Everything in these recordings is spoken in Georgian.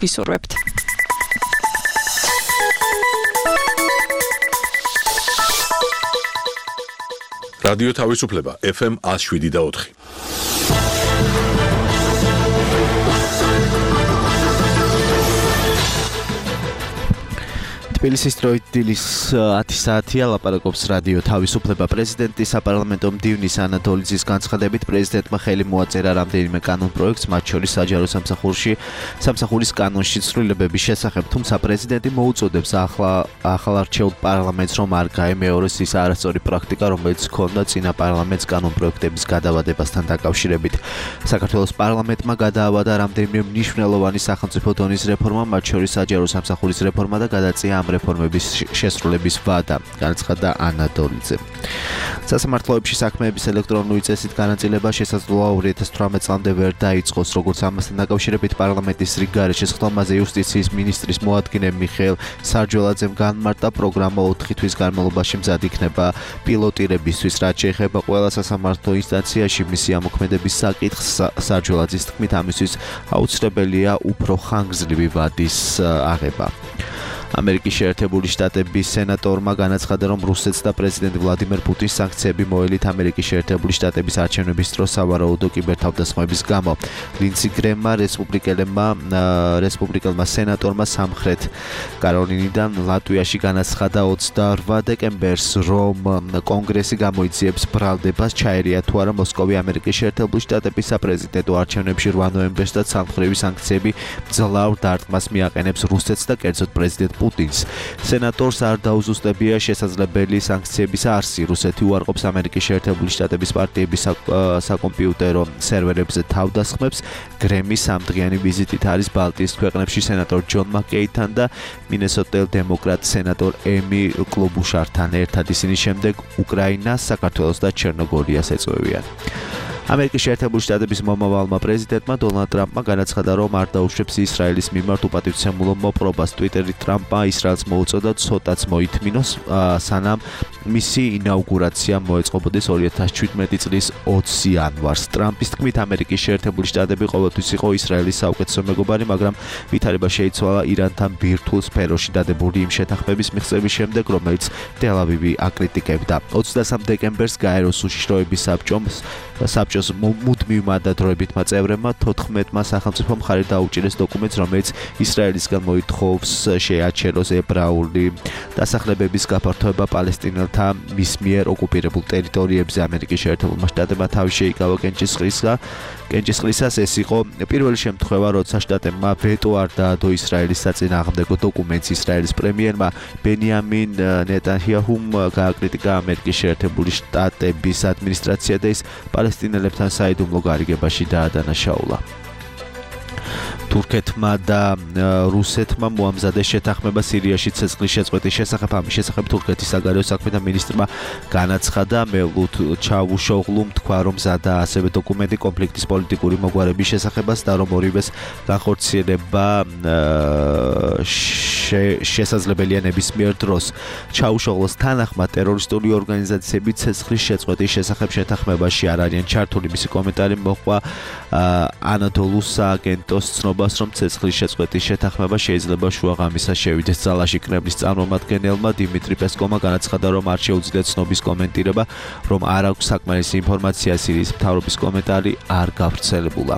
ვისურვებთ. რადიო თავისუფლება FM 107.4. თბილისის დროით დილის 10 საათია ლაპარაკობს რადიო თავისუფლება. პრეზიდენტის საპარლამენტო მდივნის ანა დოლიძის განცხადებით პრეზიდენტმა ხელი მოაწერა რამდენიმე კანონპროექტს, მათ შორის საჯარო სამსახურის კანონში ცვლილებების შესახებ, თუმცა პრეზიდენტი მოუწოდებს ახალარჩეულ პარლამენტს, რომ არ გაემეოროს ის არასწორი პრაქტიკა, რომელიც ჰქონდა წინა პარლამენტს კანონპროექტების გადავადებასთან დაკავშირებით. საქართველოს პარლამენტმა გადაავადა რამდენიმე მნიშვნელოვანი სახელმწიფო დონის რეფორმა, მათ შორის საჯარო სამსახურის რეფორმა და გადაწია ამ რეფორმების შესრულების ვადა, განცხადა ანა დოლიძე. სასამართლოებში საქმეების ელექტრონული წესით განაწილება შესაძლოა 2018 წლამდე ვერ დაიწყოს, როგორც ამასთან დაკავშირებით პარლამენტის რიგგარეშე სხდომაზე იუსტიციის მინისტრის მოადგილე მიხეილ სარჯველაძემ განმარტა, პროგრამა 4 თვის განმავლობაში მზად იქნება პილოტირებისთვის, რაც შეეხება ყველა სასამართლო ინსტანციაში მისი ამოქმედების საკითხს. სარჯველაძის თქმით, ამისთვის აუცილებელია უფრო ხანგრძლივი ვადის აღება. ამერიკის შეერთებული შტატების სენატორმა განაცხადა, რომ რუსეთს და პრეზიდენტ ვლადიმერ პუტინს სანქციები მოელით ამერიკის შეერთებული შტატების არჩევნების დროს სავარაუდო კიბერთავდასხმების გამო. ლინდსი გრემმა რესპუბლიკელმა სენატორმა სამხრეთ კაროლინიდან ლატვიაში განაცხადა 28 დეკემბერს, რომ კონგრესი გამოიძიებს ბრალდებას ჩაერია თუ არა მოსკოვი ამერიკის შეერთებული შტატების საპრეზიდენტო არჩევნებში 8 ნოემბერს და სამხრივი სანქციები ძლავრ დარტყმას მიაყენებს რუსეთს და კერძოდ პრეზიდენტ პუტინს. სენატორს არ დაუზუსტებია შესაძლებელი სანქციების არსი. რუსეთი უარყოფს ამერიკის შეერთებული შტატების პარტიების საკომპიუტერო სერვერებზე თავდასხმებს. გრემი სამდღიანი ვიზიტით არის ბალტიის ქვეყნებში სენატორ ჯონ მაკეინთან და მინესოტელ დემოკრატ სენატორ ემი კლობუშართან ერთად. ისინი შემდეგ უკრაინას, საქართველოს და ჩერნოგორიას ეწევიან. ამერიკის შეერთებული შტატების მომავალმა პრეზიდენტმა დონალდ ტრამპმა განაცხადა, რომ არ დაუშვებს ისრაელის მიმართ უპატივცემულო მოპყრობას. ტვიტერით ტრამპმა ისრაელს მოუწოდა ცოტაც მოითმინოს, სანამ მისი ინაუგურაცია მოეწყობოდეს 2017 წლის 20 იანვარს. ტრამპის თქმით, ამერიკის შეერთებული შტატები ყოველთვის იყო ისრაელის საუკეთესო მეგობარი, მაგრამ ვითარება შეიცვალა ირანთან ბირთვულ სფეროში დადებული იმ შეთანხმების მიღწევის შემდეგ, რომელიც ტელ-ავივი აკრიტიკებდა. 23 დეკემბერს გაეროს უშიშროების საბჭოს მუდმივმა და დროებითმა წევრებმა 14-მა სახელმწიფომ მხარი დაუჭირეს დოკუმენტს, რომელიც ისრაელისგან მოითხოვს შეაჩეროს ებრაული დასახლებების გაფართოება პალესტინელთა მის მიერ ოკუპირებულ ტერიტორიებზე. ამერიკის შეერთებულმა შტატებმა თავი შეიკავა კენჭისყრისას. ეს იყო პირველი შემთხვევა, როცა შტატებმა ვეტო არ დაადო ისრაელის საწინააღმდეგო დოკუმენტს. ისრაელის პრემიერმა ბენიამინ ნეტანიაჰუმ გააკრიტიკა ამერიკის შეერთებული შტატების ადმინისტრაცია და ის პალესტინელებთან საიდუმლო გარიგებაში დაადანაშაულა. თურქეთმა და რუსეთმა მოამზადეს შეთანხმება სირიაში ცეცხლის შეწყვეტის შესახებ. ამის შესახებ თურქეთის საგარეო საქმეთა მინისტრმა განაცხადა, მელუთ ჩავუშოღლუმ თქვა, რომ მზადაა ასევე დოკუმენტი კონფლიქტის პოლიტიკური მოგვარების შესახებაც და რომ ორივეს განხორციელება შესაძლებელია ნებისმიერ დროს. ჩაუშოღლოს თანახმად ტერორისტული ორგანიზაციები ცეცხლის შეწყვეტის შესახებ შეთანხმებაში არ არიან ჩართული. მისი კომენტარი მოჰყვა ანადოლუს სააგენტოს ცნობას, რომ ცეცხლის შეწყვეტის შეთანხმება შეიძლება შუაღამისას შევიდეს ძალაში. კრემლის წარმომადგენელმა დიმიტრი პესკოვმა განაცხადა, რომ არ შეუძლიათ ცნობის კომენტირება, რომ არ აქვს საკმარისი ინფორმაცია. სირიის მთავრობის კომენტარი არ გავრცელებულა.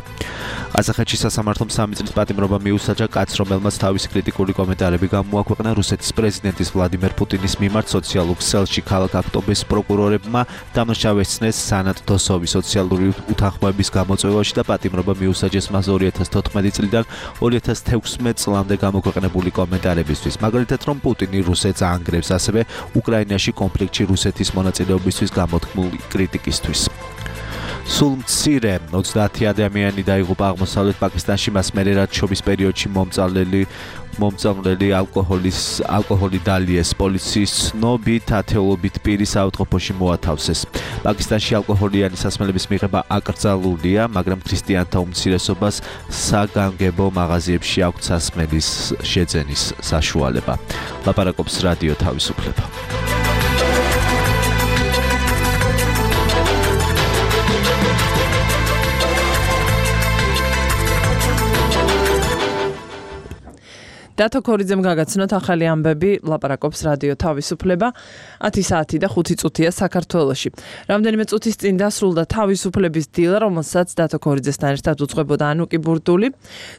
ყაზახეთში სასამართლომ 3 წლის პატიმრობა მიუსაჯა კაცს, რომელმაც თავისი კრიტიკული კომენტარები გამოაქვეყნა რუსეთის პრეზიდენტის ვლადიმერ პუტინის მიმართ სოციალურ ქსელში. ქალაქ აქტობის პროკურორებმა დამნაშავესწნეს სანატ დოსოვი სოციალური უთანხმოების გამოწვევაში და პატიმრობა მიუსაჯეს მას 2014 წლიდან 2016 წლამდე გამოქვეყნებული კომენტარებისთვის. მაგალითად, რომ პუტინი რუსეთს აანგრევს, ასევე უკრაინაში კონფლიქტში რუსეთის მონაწილეობისთვის გამოთქმული კრიტიკისთვის. სულ მცირე 30 ადამიანი დაიღუპა აღმოსავლეთ პაკისტანში, მას მერე რაც შობის პერიოდში მომწამლელი ალკოჰოლი დალიეს. პოლიციის ცნობით ათეულობით პირი საავადმყოფოში მოათავსეს. პაკისტანში ალკოჰოლიანი სასმელების მიღება აკრძალულია, მაგრამ ქრისტიანთა უმცირესობას საგანგებო მაღაზიებში აქვთ სასმელის შეძენის საშუალება. ლაპარაკობს რადიო თავისუფლება. დათო ქორიძემ გაგაცნოთ ახალი ამბები, ლაპარაკობს რადიო თავისუფლება. 10 საათი და 5 წუთია საქართველოში. რამდენიმე წუთის წინ დასრულდა თავისუფლების დილა, რომელსაც დათო ქორიძესთან ერთად უძღვებოდა ანუკი ბურდული.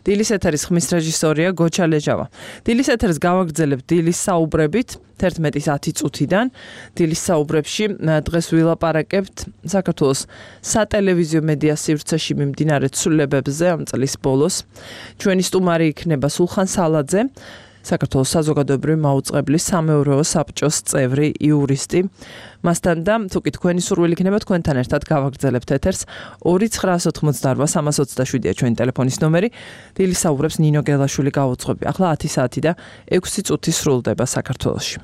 დილის ეთერის ხმის რეჟისორია გოჩა ლეჯავა. დილის ეთერს გავაგრძელებთ დილის საუბრებით 11-ის 10 წუთიდან. დილის საუბრებში დღეს ვილაპარაკებთ საქართველოს სატელევიზიო მედია სივრცეში მიმდინარე ცვლილებებზე ამ წლის ბოლოს. ჩვენი სტუმარი იქნება სულხან სალაძე, საქართველოს საზოგადოებრივი მაუწყებლის სამეურვეო საბჭოს წევრი, იურისტი. მასთან და თუკი თქვენი სურვილი იქნება თქვენთან ერთად გავაგრძელებთ ეთერს 2-988-327-ია ჩვენი ტელეფონის ნომერი. დილის საუბრებს ნინო გელაშვილი გაუძღვები. ახლა 10 საათი და 6 წუთი სრულდება საქართველოში.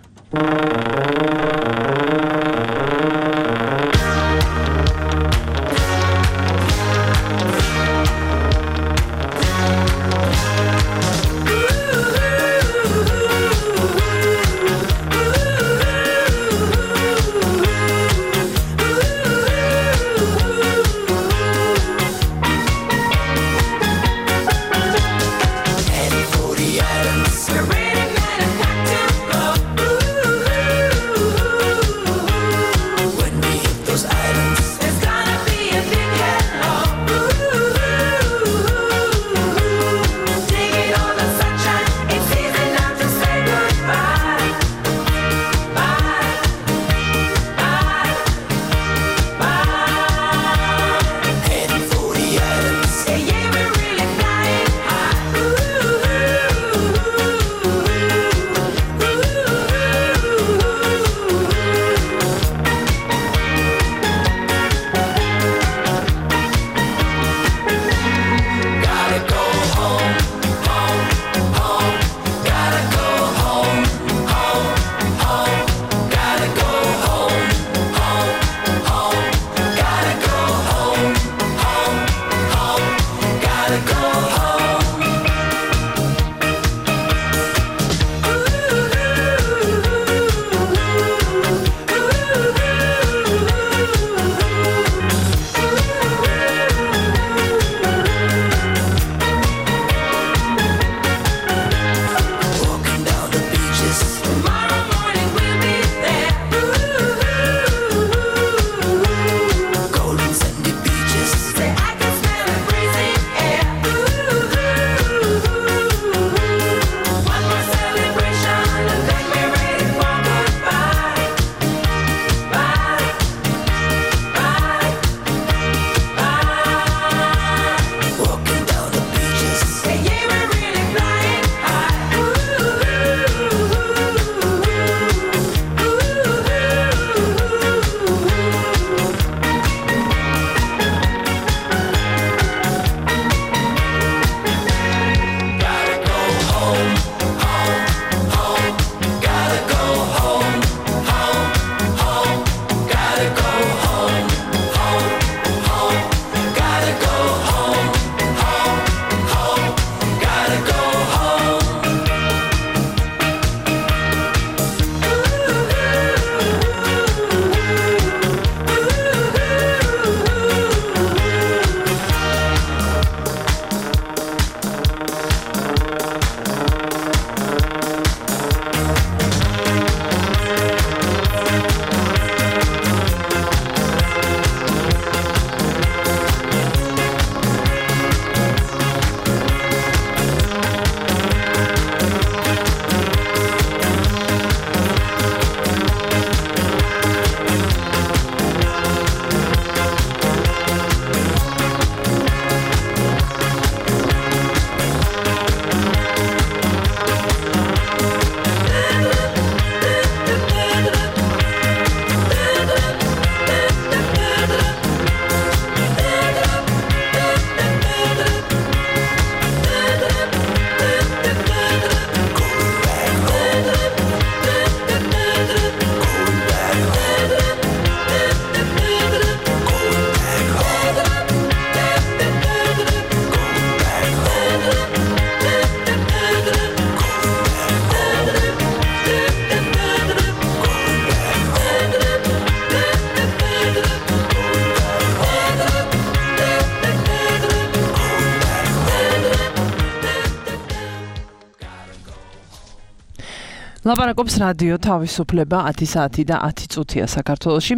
ლაპარაკობს რადიო თავისუფლება 10 საათი და 10 წუთია საქართველოში.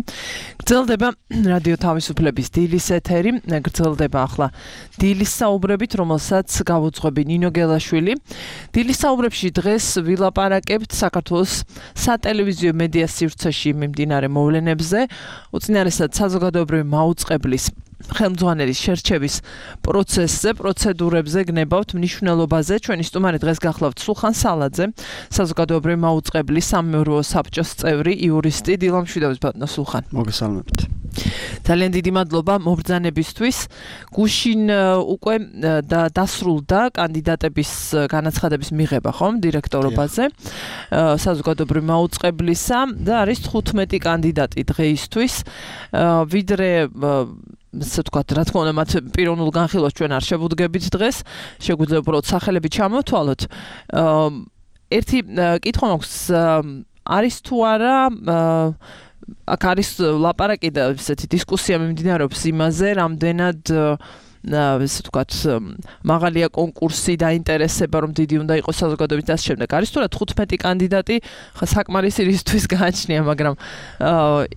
გრძელდება რადიო თავისუფლების დილის ეთერი, გრძელდება ახლა დილის საუბრებით, რომელსაც გავუძღვები ნინო გელაშვილი. დილის საუბრებში დღეს ვილაპარაკებთ საქართველოს სატელევიზიო მედია სივრცეში მიმდინარე მოვლენებზე, უწინარესად საზოგადოებრივი მაუწყებლის ხელმძღვანელის შერჩევის პროცესზე, პროცედურებზე გნებავთ მნიშვნელობაზე. ჩვენი სტუმარი დღეს გახლავთ სულხან სალაძე, საზოგადოებრივი მაუწყებლის სამეურვეო საბჭოს წევრი, იურისტი. დილამშვიდობის ბატონო სულხან. მოგესალმებით. ძალიან დიდი მადლობა მობრძანებისთვის. გუშინ უკვე დასრულდა კანდიდატების განაცხადების მიღება, ხომ, დირექტორობაზე საზოგადოებრივი მაუწყებლისა და არის 15 კანდიდატი დღეისთვის. ვიდრე ასე ვთქვათ, რა თქმა უნდა, მათ პიროვნულ განხილვას ჩვენ არ შევუდგებით დღეს, შეგვიძლია უბრალოდ სახელები ჩამოვთვალოთ. ერთი კითხვა მაქვს, არის თუ არა აქ არის ლაპარაკი და ესეთი დისკუსია მიმდინარეობს იმაზე, რამდენად ასე ვთქვათ, მაღალია კონკურსი და ინტერესება, რომ დიდი უნდა იყოს საზოგადოების და ამ შემდეგ. არის თუ რა 15 კანდიდატი, ხა საკმარისი რისთვის გააჩნია, მაგრამ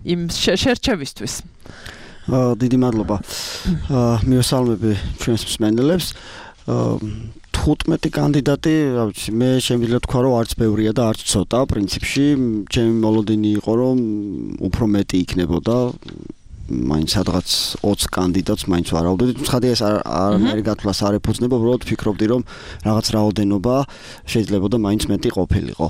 იმ შერჩევისთვის. დიდი მადლობა. მივესალმები ჩვენს მსმენელებს. 15 კანდიდატი, რა ვიცი, მე შემიძლია თქვა, რომ არც ბევრია და არც ცოტა, პრინციპში, ჩემი მოლოდინი იყო, რომ უფრო მეტი იქნებოდა. მაინც სადღაც 20 კანდიდატს მაინც ვარავდები. ცხადია ეს არანაირი გათვლას არ ეფუძნება, უბრალოდ ფიქრობდი, რომ რაღაც რაოდენობა შეიძლება და მაინც მეტი ყოფილიყო.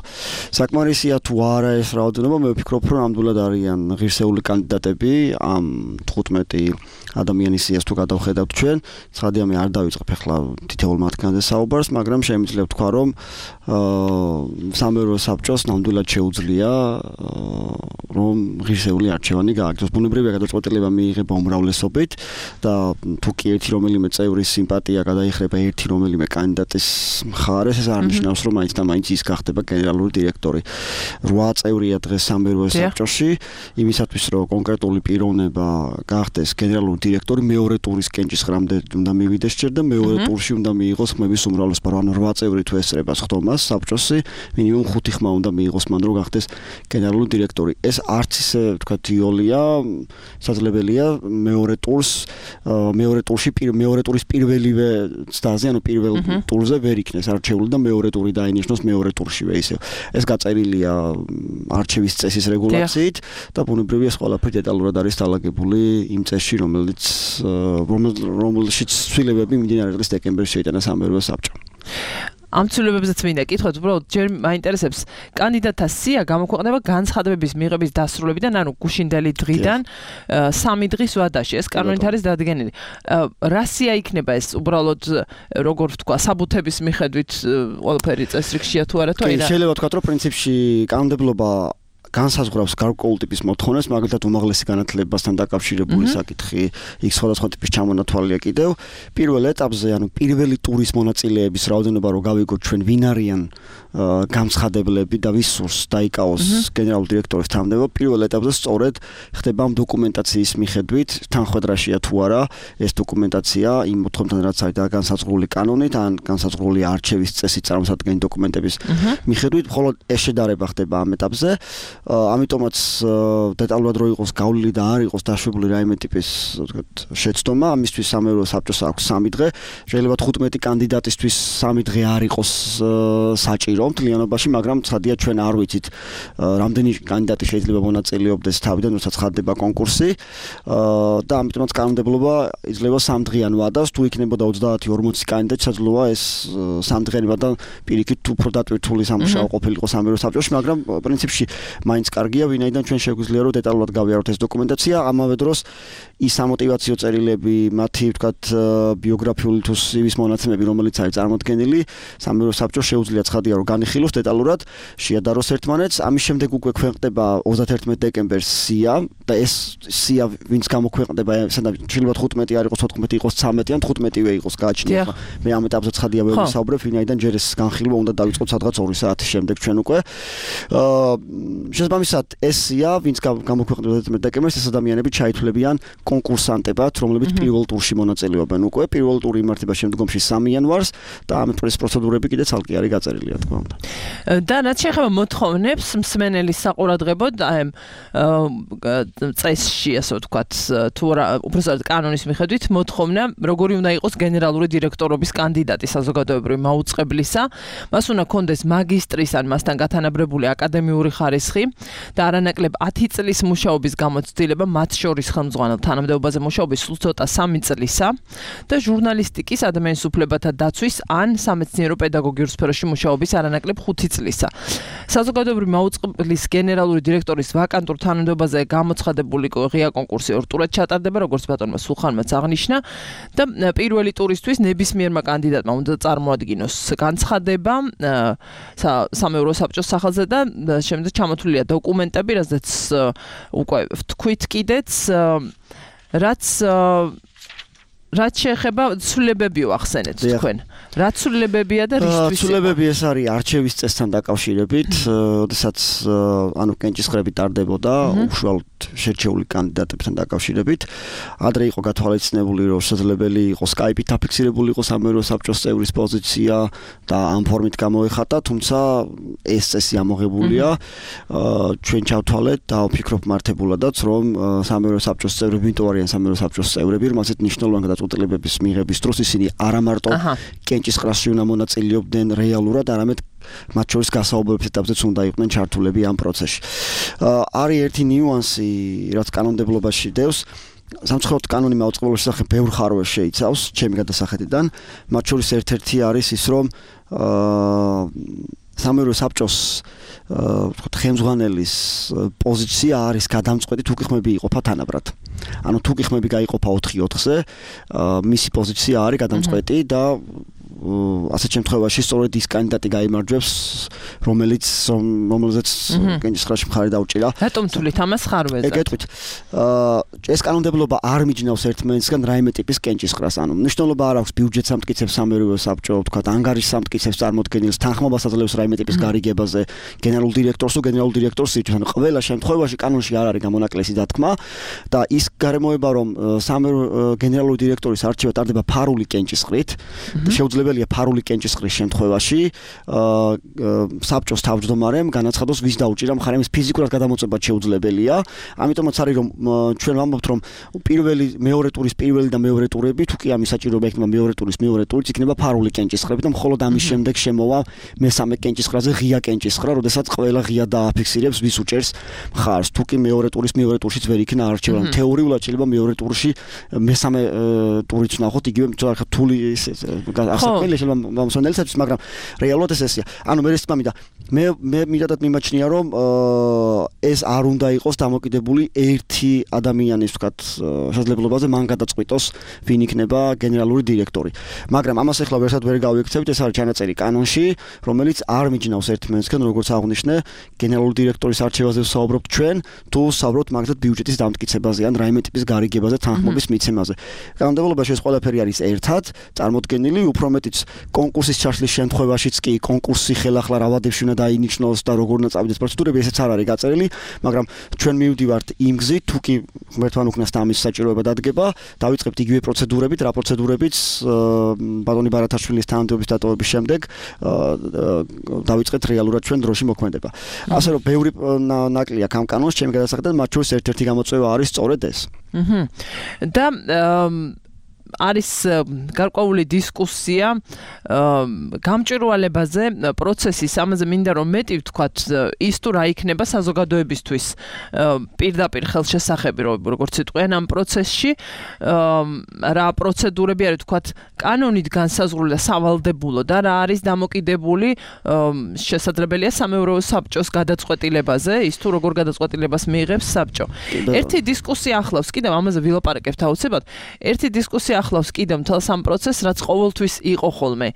საკმარისია თუ არა ეს რაოდენობა, მე ვფიქრობ, რომ ნამდვილად არიან ღირსეული კანდიდატები ამ 15 ადამიანის სიას თუ გადავხედავთ ჩვენ. ცხადია მე არ დავიწყებ ახლა თითოეულ მათგანზე საუბარს, მაგრამ შემიძლია ვთქვა, რომ სამეურვეო საბჭოს ნამდვილად შეუძლია რომ ღირსეული არჩევანი გააგრძელოს. ბუნებრივია გადაწყვეტილება მიიღება უმრავლესობით და თუ კი ერთი რომელიმე წევრის სიმპათია გადაიხრება ერთი რომელიმე კანდიდატის მხარეს, ეს არ ნიშნავს, რომ მაინც და მაინც ის გახდება გენერალური დირექტორი. 8 წევრია დღეს სამეურვეო საბჭოში, იმისათვის რომ კონკრეტული პიროვნება გახდეს გენერალური დირექტორი, მეორე ტურის კენჭისყრამდე უნდა მივიდეს ჯერ და მეორე ტურში უნდა მიიღოს ხმების უმრავლესობა. ანუ 8 წევრი თუ ესწრება ხდომას საბჭოსი, მინიმუმ 5 ხმა უნდა მიიღოს მან, რომ გახდეს გენერალური დირექტორი. ეს არც ისე ვთქვათ იოლია, შესაძლებელია მეორე ტურში მეორე ტურის პირველივე ცდაზე, ანუ პირველ ტურზე ვერ იქნეს არჩეული და მეორე ტური დაინიშნოს მეორე ტურშივე ისევ. ეს გაწერილია არჩევის წესის რეგულაციით და ბუნებრივია ეს ყველაფერი დეტალურად არის დალაგებული იმ წესში, რომელშიც ცვლილებები მიმდინარე წლის დეკემბერში შეიტანა სამეურვეო საბჭომ. ამ ცვლილებებზეც მინდა კითხოთ, უბრალოდ ჯერ მაინტერესებს კანდიდატთა სია გამოქვეყნება განცხადებების მიღების დასრულებიდან, ანუ გუშინდელი დღიდან 3 დღის ვადაში. ეს კანონით არის დადგენილი. რა სია იქნება ეს უბრალოდ როგორ ვთქვა, საბუთების მიხედვით ყველაფერი წესრიგშია თუ არა თუ არა? შეიძლება ვთქვათ, რომ პრინციპში კანონმდებლობა განსაზღვრავს გარკვეულ ტიპის მოთხოვნებს, მაგალითად უმაღლესი განათლებასთან დაკავშირებული საკითხი, იქ სხვადასხვა ტიპის ჩამონათვალია კიდევ. პირველ ეტაპზე, ანუ პირველი ტურის მონაწილეების რაოდენობა რო გავიგოთ ჩვენ ვინ არიან გამცხადებლები და ვის სურს დაიკავოს გენერალური დირექტორის თანამდებობა, პირველ ეტაპზე სწორედ ხდება ამ დოკუმენტაციის მიხედვით, თანხმედრაშია თუ არა ეს დოკუმენტაცია იმ მოთხოვნებთან რაც არის განსაზღვრული კანონით, ან განსაზღვრული არჩევის წესით წარმოსადგენი დოკუმენტების მიხედვით, მხოლოდ ეს შედარება ხდება ამ ეტაპზე. ამიტომაც დეტალურად რო იყოს გავლილი და არ იყოს დაშვებული რაიმე ტიპის შეცდომა, ამისთვის სამეურვეო საბჭოს აქვს 3 დღე. შეიძლება 15 კანდიდატისთვის 3 დღე არ იყოს საჭირო მთლიანობაში, მაგრამ ცხადია ჩვენ არ ვიცით რამდენი კანდიდატი შეიძლება მონაწილეობდეს თავიდან, როცა ცხადდება კონკურსი და ამიტომაც კანონმდებლობა იძლევა 3 დღიან ვადას, თუ იქნებოდა 30-40 კანდიდატი, შესაძლოა ეს 3 დღიანი ვადა პირიქით უფრო დატვირთული სამუშაო ყოფილიყო სამეურვეო საბჭოში, მაგრამ პრინციპში მაინც კარგია, ვინაიდან ჩვენ შეგვიძლია რომ დეტალურად გავიაროთ ეს დოკუმენტაცია, ამავე დროს ის სამოტივაციო წერილები, მათი ვთქვათ ბიოგრაფიული თუ CV-ის მონაცემები, რომელიც არის წარმოდგენილი, სამეურვეო საბჭოს შეუძლია ცხადია რომ განიხილოს დეტალურად, შეადაროს ერთმანეთს. ამის შემდეგ უკვე ქვეყნდება 31 დეკემბერს სია და ეს სია ვინც გამოქვეყნდება, შეიძლება 15 არ იყოს, 14 იყოს, 13 ან 15-ვე იყოს გააჩნია. მე ამ ეტაპზე ცხადია ვერ ვისაუბრებ, ვინაიდან ჯერ ეს განხილვა უნდა დავიწყოთ სადღაც 2 საათის შემდეგ ჩვენ უკვე. შესაბამისად ესია, ვინც გამოქვეყნდება 11 დეკემბერს, ეს ადამიანები ჩაითვლებიან კონკურსანტებად, რომლებიც პირველ ტურში მონაწილეობენ უკვე. პირველ ტური იმართება შემდგომში 3 იანვარს და ამ პროცედურები კიდე ცალკე არის გაწერილი, თქმა უნდა. და რაც შეეხება მოთხოვნებს მსმენელის საყურადღებოდ, აი წესში, ასე ვთქვათ, თუ უბრალოდ კანონის მიხედვით მოთხოვნა, როგორი უნდა იყოს გენერალური დირექტორობის კანდიდატი საზოგადოებრივი მაუწყებლისა, მას უნდა კონდეს მაგისტრის ან მასთან გათანაბრებული აკადემიური ხარისხი და არანაკლებ 10 წლის მუშაობის გამოცდილება, მათ შორის ხელმძღვანელ თანამდებობაზე მუშაობის სულ ცოტა 3 წლისა და ჟურნალისტიკის, ადამიანის უფლებათა დაცვის ან სამეცნიერო პედაგოგიურ სფეროში მუშაობის არანაკლებ 5 წლისა. საზოგადოებრივი მაუწყებლის გენერალური დირექტორის ვაკანტურ თანამდებობაზე გამოცხადებული ღია კონკურსი 2 ტურად ჩატარდება, როგორც ბატონმა სულხანმაც აღნიშნა და პირველი ტურისთვის ნებისმიერმა კანდიდატმა უნდა წარმოადგინოს განცხადება სამეურო საბჭოს სახელზე და შემდეგ ჩამოთვლილია დოკუმენტები, რასაც უკვე ვთქვით კიდეც, რაც შეეხება ცვლილებებიო ახსენეთ თქვენ. რა ცვლილებებია და რისთვის? ცვლილებები ეს არის არჩევის წესთან დაკავშირებით, როდესაც კენჭისყრები ტარდებოდა უშუალოდ შერჩეული კანდიდატებთან დაკავშირებით. ადრე იყო გათვალისწინებული, რომ შესაძლებელი იყო Skype-ით აფიქსირებული იყოს სამეურო საბჭოს წევრის პოზიცია და ამ ფორმით გამოეხატა, თუმცა ეს წესი ამოღებულია. ჩვენ ჩავთვალეთ და ვფიქრობ მართებულადაც, რომ სამეურო საბჭოს წევრები, იმიტომ არიან სამეურო საბჭოს წევრები, რომ ასეთ მნიშვნელოვანი გადაწყვეტილებების მიღების დროს ისინი არა მარტო კენჭისყრაში უნდა მონაწილეობდნენ რეალურად, არამედ მათ შორის გასაუბრების ეტაპზეც უნდა იყვნენ ჩართულები ამ პროცესში. არის ერთი ნიუანსი, რაც კანონმდებლობაში დევს. სამწუხაროდ კანონი მაუწყებლობის შესახებ ბევრ ხარვას შეიცავს, ჩემი გადასახედიდან. მათ შორის ერთ-ერთი არის ის, რომ სამეურო საბჭოს ხელმძღვანელის პოზიცია არის გადამწყვეტი, თუ კი ხმები იყოფა თანაბრად. ანუ თუ კი ხმები გაიყოფა 4-4-ზე, მისი პოზიცია არის გადამწყვეტი და ასეთ შემთხვევაში სწორედ ის კანდიდატი გაიმარჯვებს, რომელზეც კენჭისყრაში მხარი დაუჭირა. რატომ თვლით ამას ხარვეზე? ეგეთქვით. ეს კანონმდებლობა არ მიჯნავს ერთმანეთისგან რაიმე ტიპის კენჭისყრას. ანუ მნიშვნელობა არ აქვს ბიუჯეტს ამტკიცებს სამეურო საბჭო, ვთქვათ, ანგარიშს ამტკიცებს წარმოდგენილს, თანხმობას აძლევს რაიმე ტიპის გარიგებაზე, გენერალურ დირექტორს თუ გენერალურ დირექტორს ირჩევს. ანუ ყველა შემთხვევაში კანონში არ არის გამონაკლისი დათქმა და ის გარემოება, რომ სამეურო გენერალური დირექტორის არჩევა ტარდება ფარული კენჭისყრით, შეუძლებელია ფარული კენჭისყრის შემთხვევაში საბჭოს თავმჯდომარემ განაცხადოს, ვის დაუჭირა მხარე, ის ფიზიკურად გადამოწმება შეუძლებელია. ამიტომაც არის, რომ ჩვენ ვამბობთ, რომ მეორე ტურის პირველი და მეორე ტურები, თუ კი ამის საჭიროება იქნება მეორე ტურის მეორე ტურიც იქნება ფარული კენჭისყრები და მხოლოდ ამის შემდეგ შემოვა მესამე კენჭისყრაზე ღია კენჭისყრა, როდესაც ყველა ღია დააფიქსირებს, ვის უჭერს მხარს. თუ კი მეორე ტურის მეორე ტურშიც ვერ იქნა არჩევა. თეორიულად შეიძლება მეორე ტურში მესამე ტურიც ვნახოთ, იგივე რთული ახსენელი შეიძლება მომსვენელისათვის, მაგრამ რეალურად ესეა. ანუ მე ეს მამიდა მე მიდადად მიმაჩნია, რომ ეს არ უნდა იყოს დამოკიდებული ერთი ადამიანის, ვთქვათ, შესაძლებლობაზე მან გადაწყვიტოს, ვინ იქნება გენერალური დირექტორი. მაგრამ ამას ახლა ვერსად ვერ გავიქცევით, ეს არის ჩანაწერი კანონში, რომელიც არ მიჯნავს ერთმანეთისგან, როგორც აღნიშნე, გენერალური დირექტორის არჩევაზე ვსაუბრობთ ჩვენ, თუ ვსაუბრობთ მაგალითად ბიუჯეტის დამტკიცებაზე ან რაიმე ტიპის გარიგებაზე, თანხმობის მიცემაზე. კანონმდებლობაში ეს ყველაფერი არის ერთად წარმოდგენილი, უფრო მეტიც კონკურსის ჩაშლის შემთხვევაშიც კი კონკურსი ხელახლა რა ვადებში უნდა დაინიშნოს და როგორ უნდა წავიდეს პროცედურები, ესეც არ არის გაწერილი, მაგრამ ჩვენ მივდივართ იმ გზით, თუ კი ღმერთთან უკნასთან ამის საჭიროება დადგება, დავიწყებთ იგივე პროცედურებით, რა პროცედურებიც ბატონი ბარათაშვილის თანამდებობის დატოვების შემდეგ დავიწყეთ რეალურად ჩვენ დროში მოქმედება. ასე რომ ბევრი ნაკლია ამ კანონს, ჩემი გადასახედად, მათ შორის ერთ-ერთი გამოწვევა არის სწორედ ეს. და არის გარკვეული დისკუსია გამჭვირვალებაზე პროცესის, ამაზე მინდა რომ მეტი ვთქვათ, ის თუ რა იქნება საზოგადოებისთვის პირდაპირ ხელშესახები, როგორც იტყვიან ამ პროცესში, რა პროცედურები არის, ვთქვათ, კანონით განსაზღვრული და სავალდებულო და რა არის დამოკიდებული შესაძლებელია სამეურო საბჭოს გადაწყვეტილებაზე, ის თუ როგორ გადაწყვეტილებას მიიღებს საბჭო. ერთი დისკუსია ახლავს კიდევ ამაზე ვილაპარაკებთ აუცილებლად. ერთი დისკუსია ახლავს კიდევ მთელს ამ პროცესს, რაც ყოველთვის იყო ხოლმე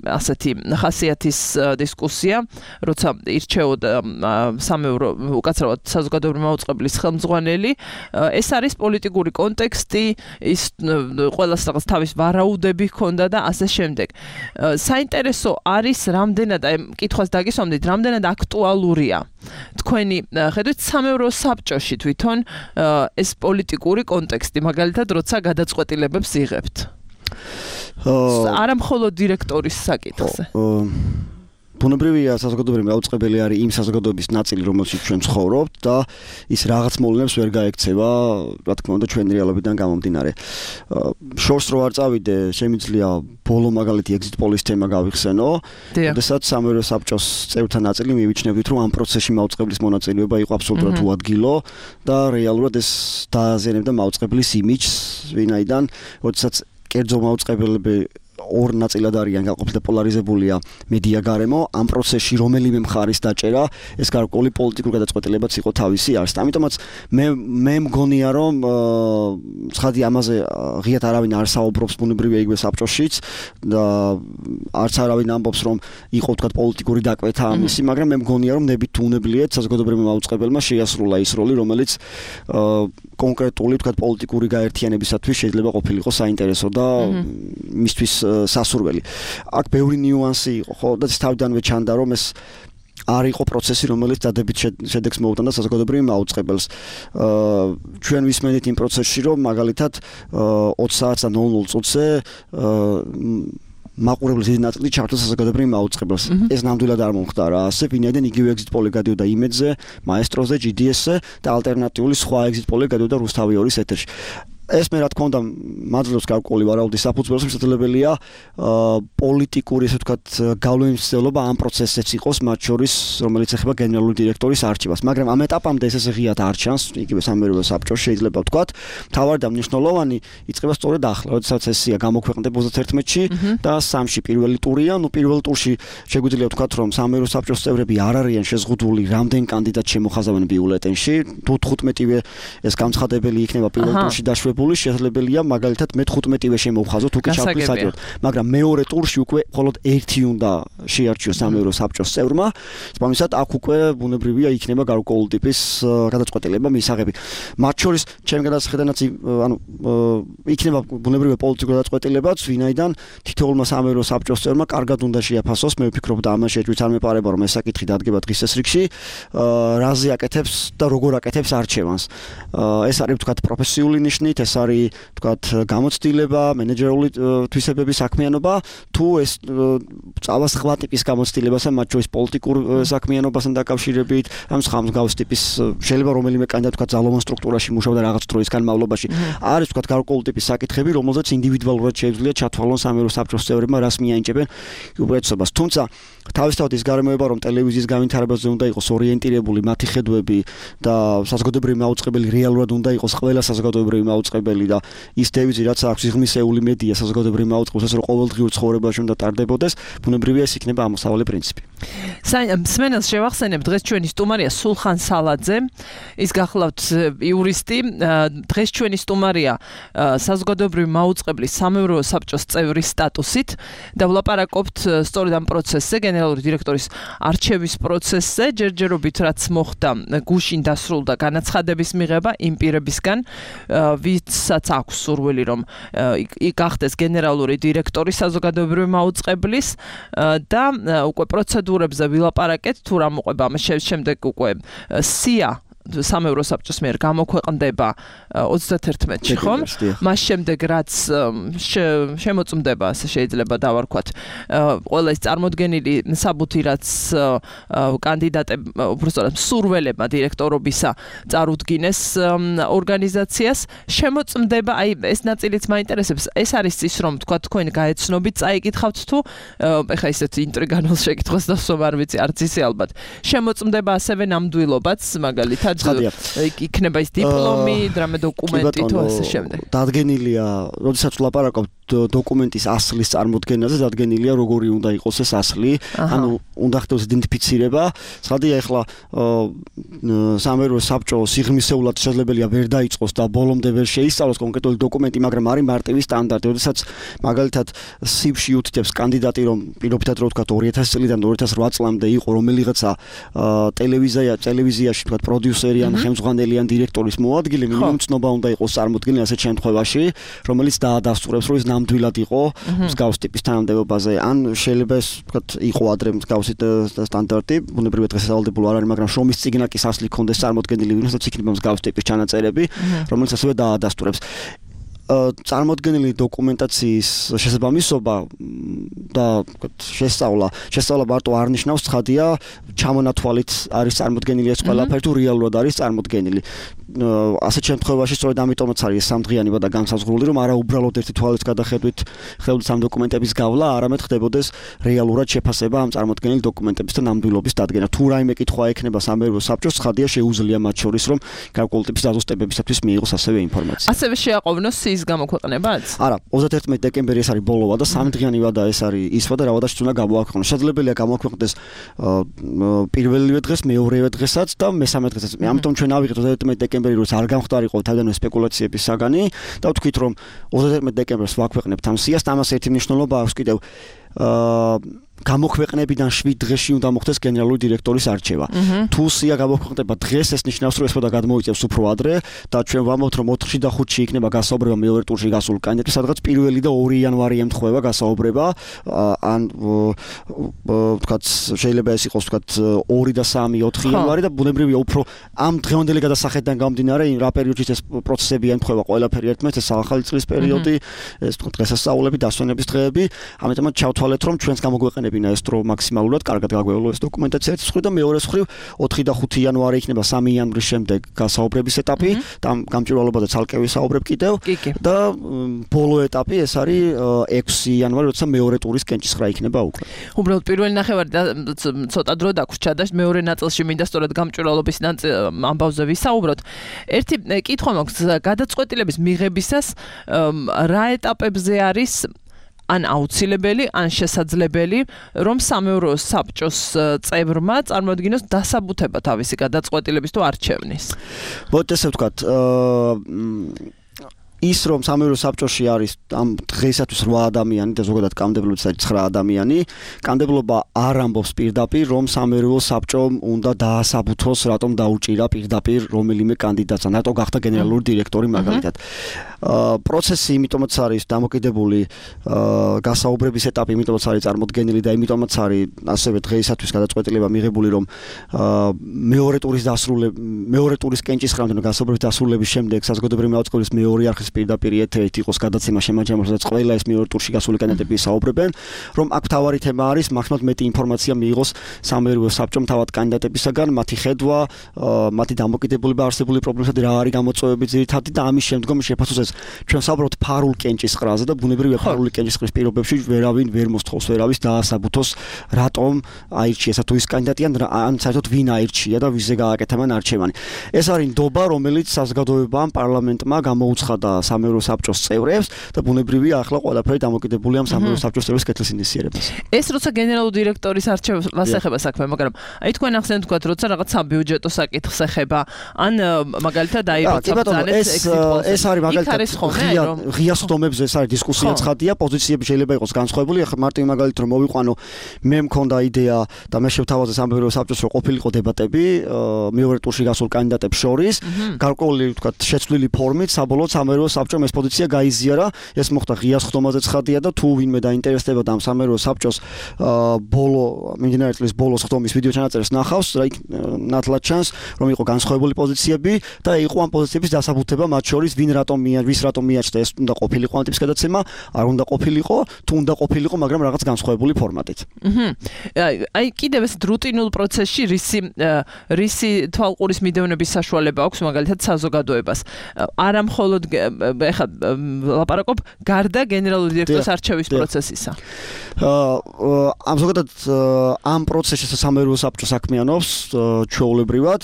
ასეთი ხასიათის დისკუსია, როცა ირჩეოდა სამეურო უკაცრავად საზოგადოებრივი მაუწყებლის ხელმძღვანელი, ეს არის პოლიტიკური კონტექსტი, ის ყველას რაღაც თავის ვარაუდები ჰქონდა და ასე შემდეგ. საინტერესო არის რამდენად, კითხვას დაგისვამდით, რამდენად აქტუალურია თქვენი ხედვით სამეურო საბჭოში თვითონ ეს პოლიტიკური კონტექსტი მაგალითად როცა გადაწყვეტილებებს იღებთ არა მხოლოდ დირექტორის საკითხზე ბუნებრივია საზოგადოებრივი მაუწყებელი არის იმ საზოგადოების ნაწილი რომელშიც ჩვენ ცხოვრობთ და ის რაღაც მოვლენებს ვერ გაექცევა რა თქმა უნდა ჩვენი რეალობიდან გამომდინარე შორს რო არ წავიდე შემიძლია ბოლო მაგალითი exit polls თემა გავიხსენო შესაძაც სამეურო საბჭოს წევრთა ნაწილი მივიჩნევით რომ ამ პროცესში მაუწყებლის მონაწილეობა იყო აბსოლუტურად უადგილო და რეალურად ეს დააზიანებდა მაუწყებლის იმიჯს ვინაიდან შესაძაც კერძო მაუწყებლები ორ ნაწილად არიან გაყოფილი და პოლარიზებულია მედია გარემო ამ პროცესში რომელიმე მხარის დაჭერა ეს გარკვეული პოლიტიკური გადაწყვეტილებაც იყო თავისი არის. ამიტომაც მე მგონია რომ ცხადი ამაზე ღიად არავინ არ საუბრობს ბუნებრივია იგივე საბჭოშიც და არც არავინ ამბობს რომ იყო თქვა პოლიტიკური დაკვეთა ამისი, მაგრამ მე მგონია რომ ნებით უნებლიეთ საზოგადოებრივმა მაუწყებელმა შეასრულა ის როლი რომელიც კონკრეტული თქვა პოლიტიკური გაერთიანებისათვის შეიძლება ყოფილიყო საინტერესო და მისთვის სასურველი. აქ ბევრი ნიუანსი იყო, ხო, და თავიდანვე ჩანდა რომ ეს არ იყო პროცესი, რომელიც დადებით შედეგს მოუტანდა საზოგადოებრივ მაუწყებელს. ჩვენ ვისმენთ იმ პროცესში, რომ მაგალითად 20 საათს და 00 წუთზე მაყურებლის დიდი ნაწილი ჩართო საზოგადოებრივ მაუწყებელს. ეს ნამდვილად არ მომხდარა ასე, ვინაიდან იგივე exit poll გადიოდა იმედზე, მაესტროზე, GDS-ზე და ალტერნატიული სხვა exit poll გადიოდა რუსთავი 2-ის ეთერში. ეს მე რა თქმა უნდა მაძლევს გარკვეული ვარაუდის საფუძველს, შესაძლებელია პოლიტიკური ესე ვთქვათ გავლენის მცდელობა ამ პროცესზეც იყოს, მათ შორის რომელიც ეხება გენერალური დირექტორის არჩევას, მაგრამ ამ ეტაპამდე ეს ესე ღიად არ ჩანს, იგივე სამეურვეო საბჭოში შეიძლება ვთქვათ, მთავარი და მნიშვნელოვანი იწყება სწორედ ახლა, როდესაც ესია გამოქვეყნდება 31-ში და 3-ში პირველი ტურია, პირველ ტურში შეგვიძლია ვთქვათ, რომ სამეურვეო საბჭოს წევრები არ არიან შეზღუდული რამდენ კანდიდატს შემოხაზავენ ბიულეტენში, თუ 15-ვე ეს გამცხადებელი იქნება პირველ ტურში დაშვებული შესაძლებელია მაგალითად მე 15-ვე შემოვხაზოთ თუ კი ჩავთვლი საჭიროდ, მაგრამ მეორე ტურში უკვე მხოლოდ ერთი უნდა შეარჩიოს სამეურვეო საბჭოს წევრმა, თუმცა აქ უკვე ბუნებრივია იქნება გარკვეული ტიპის გადაწყვეტილება მისაღები. მათ შორის ჩემი გადასახედანაც ანუ იქნება ბუნებრივია პოლიტიკური გადაწყვეტილებაც, ვინაიდან თითოეულმა სამეურვეო საბჭოს წევრმა კარგად უნდა შეაფასოს, მე ვფიქრობ და ამაში ეჭვით არ მეპარება რომ ეს საკითხი დადგება დღის წესრიგში, რაზე აკეთებს და როგორ აკეთებს არჩევანს. ეს არის ვთქვათ პროფესიული ნიშნით, ეს არის ვთქვათ გამოცდილება, მენეჯერული თვისებების საქმიანობა, თუ ეს წავა სხვა ტიპის გამოცდილებასთან, მათ შორის პოლიტიკურ საქმიანობასთან დაკავშირებით, ამ სხვა მსგავს ტიპის შეიძლება რომელიმე კანდიდატი ვთქვათ ძალოვან სტრუქტურაში მუშაობდა რაღაც დროის განმავლობაში. არის ვთქვათ გარკვეული ტიპის საკითხები, რომელზეც ინდივიდუალურად შეუძლია ჩათვალონ სამეურვეო საბჭოს წევრებმა რას მიაინჭებენ უპირატესობას. თუმცა თავისთავად ის გარემოება რომ ტელევიზიის განვითარებაზე უნდა იყოს ორიენტირებული მათი ხედვები და საზოგადოებრივი მაუწყებელი რეალურად უნდა იყოს ყველა საზოგადოებრივი მაუწყებელი და ის დევიზი რაც აქვს ღმისეული მედია საზოგადოებრივ მაუწყებელს რომ ყოველდღიურ ცხოვრებაში უნდა ტარდებოდეს, ბუნებრივია ეს იქნება ამოსავალი პრინციპი. სმენელს შევახსენებ დღეს ჩვენი სტუმარია სულხან სალაძე, ის გახლავთ იურისტი, დღეს ჩვენი სტუმარია საზოგადოებრივი მაუწყებლის სამეურვეო საბჭოს წევრის სტატუსით და ვლაპარაკობთ სწორედ ამ პროცესზე, გენერალური დირექტორის არჩევის პროცესზე, ჯერჯერობით რაც მოხდა გუშინ დასრულდა განაცხადების მიღება იმ პირებისგან, ვისაც აქვს სურვილი რომ გახდეს გენერალური დირექტორი საზოგადოებრივი მაუწყებლის და უკვე პროცედურებზე ვილაპარაკეთ თუ რა მოყვება ამის შემდეგ უკვე სია სამეურვეო საბჭოს მიერ გამოქვეყნდება 31-ში, ხომ? მას შემდეგ რაც შემოწმდება, ასე შეიძლება დავარქვათ, ყველა ის წარმოდგენილი საბუთი, რაც კანდიდატებმა, უბრალოდ სურველებმა დირექტორობისა წარუდგინეს ორგანიზაციას, შემოწმდება, აი ეს ნაწილიც მაინტერესებს. ეს არის ის, რომ თქვა თქვენ გაეცნობით, წაიკითხავთ თუ ეხა ისეთ ინტრიგანულ შეკითხვას დასვამ არ ვიცი, არც ისე ალბათ. შემოწმდება ასევე ნამდვილობაც, მაგალითად იქნება ის დიპლომი, დრამა დოკუმენტი თუ ასე შემდეგ. დადგენილია, როდესაც ვლაპარაკობთ დოკუმენტის ასლის წარმოდგენაზე, დადგენილია როგორი უნდა იყოს ეს ასლი, ანუ უნდა ხდეს იდენტიფიცირება. ცხადია ახლა სამეურვეო საბჭო სიღრმისეულად შესაძლებელია ვერ დაიწყოს და ბოლომდე ვერ შეისწავლოს კონკრეტული დოკუმენტი, მაგრამ არის მარტივი სტანდარტი, როდესაც მაგალითად სივში უთითებს კანდიდატი, რომ პირობითად რო ვთქვათ 2000 წლიდან 2008 წლამდე იყო რომელიღაცა ტელევიზიაში ვთქვათ პროდიუსერი პროდიუსერი ან ხელმძღვანელი ან დირექტორის მოადგილე, მინიმუმ ცნობა უნდა იყოს წარმოდგენილი ასეთ შემთხვევაში, რომელიც დაადასტურებს, რომ ის ნამდვილად იყო მსგავს ტიპის თანამდებობაზე, ან შეიძლება ეს ვთქვათ იყო ადრე მსგავსი სტანდარტი, ბუნებრივად დღესასწაულდებულ არ არის, მაგრამ შრომის წიგნაკის ასლი ქონდეს წარმოდგენილი, ვინმეც იქნება მსგავს ტიპის ჩანაწერები, რომელიც ასევე დაადასტურებს. წარმოდგენილი დოკუმენტაციის შესაბამისობა და შესწავლა მარტო არ ნიშნავს ცხადია ჩამონათვალით არის წარმოდგენილი ეს ყველაფერი თუ რეალურად არის წარმოდგენილი. ასეთ შემთხვევაში სწორედ ამიტომაც არის სამდღიანი ვადა განსაზღვრული, რომ არა უბრალოდ ერთი თვალის გადახედვით ხდებოდეს ამ დოკუმენტების გავლა, არამედ ხდებოდეს რეალურად შეფასება ამ წარმოდგენილი დოკუმენტების და ნამდვილობის დადგენა. თუ რაიმე კითხვა ექნება სამეურვეო საბჭოს, ცხადია შეუძლია მათ შორის, რომ გარკვეული ტიპის დაზუსტებებისათვის მიიღოს ასევე ინფორმაცია. ასევე შეაყოვნოს სიის გამოქვეყნებაც? არა, 31 დეკემბერი ეს არის ბოლო ვადა, სამდღიანი ვადა ეს არის ის ვადა, რა ვადაში უნდა გამოაქვეყნოს. შესაძლებელია გამოაქვეყნდეს პირველივე დღეს, მეორევე დღესაც და მესამე დღესაც. ამიტომ ჩვენ ავიღეთ 31 დეკემბერი, როცა არ გამხდარიყო თავდანვე სპეკულაციების საგანი და ვთქვით, რომ 31 დეკემბერს ვაქვეყნებთ ამ სიას, ამას ერთი მნიშვნელობა აქვს კიდევ გამოქვეყნებიდან 7 დღეში უნდა მოხდეს გენერალური დირექტორის არჩევა. თუ სია გამოქვეყნდება დღეს, ეს ნიშნავს, რომ ეს პოდა გადმოიწევს უფრო ადრე და ჩვენ ვამბობთ, რომ 4-ში და 5-ში იქნება გასაუბრება მეორე ტურში გასულ კანდიდატებს, სადღაც 1 და 2 იანვარი ემთხვევა გასაუბრება, ან ვთქვათ, შეიძლება ეს იყოს ვთქვათ 2 და 3, 4 იანვარი და ბუნებრივია უფრო ამ დღევანდელი გადასახედიდან გამომდინარე, რა პერიოდში ეს პროცესები ემთხვევა ყველაფერი ერთმანეთს, ეს ახალი წლის პერიოდი, ეს ვთქვათ დღესასწაულები, დასვენების დღეები, ამიტომაც ჩავთვალეთ, რომ ჩვენს გამოგვეყენებინა ეს დრო მაქსიმალურად კარგად გაგვევლო ეს დოკუმენტაცია ერთის მხრივ და მეორეს მხრივ 4 და 5 იანვარი იქნება 3 იანვრის შემდეგ გასაუბრების ეტაპი და გამჭვირვალობაზე ცალკე ვისაუბრებ კიდევ და ბოლო ეტაპი ეს არის 6 იანვარი, როცა მეორე ტურის კენჭისყრა იქნება უკვე. უბრალოდ პირველი ნახევარი ცოტა დრო დაგვრჩა და მეორე ნაწილში მინდა სწორედ გამჭვირვალობის ამბავზე ვისაუბროთ. ერთი კითხვა მაქვს, გადაწყვეტილების მიღებისას რა ეტაპებზე არის ან აუცილებელი, ან შესაძლებელი, რომ სამეურვეო საბჭოს წევრმა წარმოადგინოს დასაბუთება თავისი გადაწყვეტილების თუ არჩევნის. მოდით ესე ვთქვათ, ის რომ სამეურვეო საბჭოში არის ამ დღეისათვის 8 ადამიანი და ზოგადად კანონმდებლობის 9 ადამიანი, კანონმდებლობა არ ამბობს პირდაპირ, რომ სამეურვეო საბჭომ უნდა დაასაბუთოს, რატომ დაუჭირა პირდაპირ რომელიმე კანდიდატს, რატო გახდა გენერალური დირექტორი მაგალითად. პროცესი იმიტომაც არის დამოკიდებული გასაუბრების ეტაპი იმიტომაც არის წარმოდგენილი და იმიტომაც არის ასევე დღეისათვის გადაწყვეტილება მიღებული, რომ მეორე ტურის კენჭისყრამდე გასაუბრების დასრულების შემდეგ საზოგადოებრივი მაუწყებლის მეორე არხის პირდაპირ ეთერით იყოს გადაცემა შემაჯამოს, სადაც ყველა ეს მეორე ტურში გასული კანდიდატები საუბრებენ, რომ აქ თავარი თემა არის მაქსიმალურად მეტი ინფორმაცია მიიღოს სამეურვეო საბჭომ თავად კანდიდატებისაგან, მათი ხედვა, მათი დამოკიდებულება არსებული პრობლემებსა და რა არის გამოწვევები ძირითადი და ამის შემდგომ შეფასოს ეს ჩვენ საუბრობთ ფარულ კენჭისყრაზე და ბუნებრივია ფარული კენჭისყრის პირობებში ვერავინ ვერ მოსთხოვს ვერავის დაასაბუთოს, რატომ აირჩიეს თუ ის კანდიდატი ან საერთოდ ვინ აირჩია და ვიზე გააკეთა მან არჩევანი. ეს არის ნდობა, რომელიც საზოგადოებამ, პარლამენტმა გამოუცხადა სამეურვეო საბჭოს წევრებს და ბუნებრივია ახლა ყველაფერი დამოკიდებულია ამ სამეურვეო საბჭოს წევრების კეთილ ინიციირებას. ეს როცა გენერალური დირექტორის არჩევას ეხება საქმე, მაგრამ აი თქვენ ახსენეთ თქვათ, როცა რაღაც საბიუჯეტო საკითხს ეხება, ან მაგალითად ეს არის მაგალითად ღია სხდომებზე ეს არის დისკუსია ცხადია, პოზიციები შეიძლება იყოს განსხვავებული. ახლა მარტივი მაგალითად რომ მოვიყვანო, მე მქონდა იდეა და მე შევთავაზე სამეურვეო საბჭოს რომ ყოფილიყო დებატები მეორე ტურში გასულ კანდიდატებს შორის, გარკვეული ვთქვათ შეცვლილი ფორმით საბოლოოდ სამეურვეო საბჭომ ეს პოზიცია გაიზიარა. ეს მოხდა ღია სხდომაზე ცხადია და თუ ვინმე დაინტერესდებოდა ამ სამეურვეო საბჭოს მიმდინარე წლის ბოლოს სხდომის ვიდეო ჩანაწერს ნახავს, ნათლად ჩანს, რომ იყო განსხვავებული პოზიციები და იყო ამ პოზიციების დასაბუთება მათ შორის, ვის რატომ მიაჩნდა ეს უნდა ყოფილიყო ამ ტიპის გადაცემა, არ უნდა ყოფილიყო, თუ უნდა ყოფილიყო, მაგრამ რაღაც განსხვავებული ფორმატით. აი კიდევ ეს რუტინულ პროცესში რისი თვალყურის მიდევნების საშუალება აქვს მაგალითად საზოგადოებას. არა მხოლოდ ეხლა ლაპარაკობ გარდა გენერალური დირექტორის არჩევის პროცესისა. ამ ზოგადად ამ პროცესში სამეურვეო საბჭო საქმიანობს ჩვეულებრივად.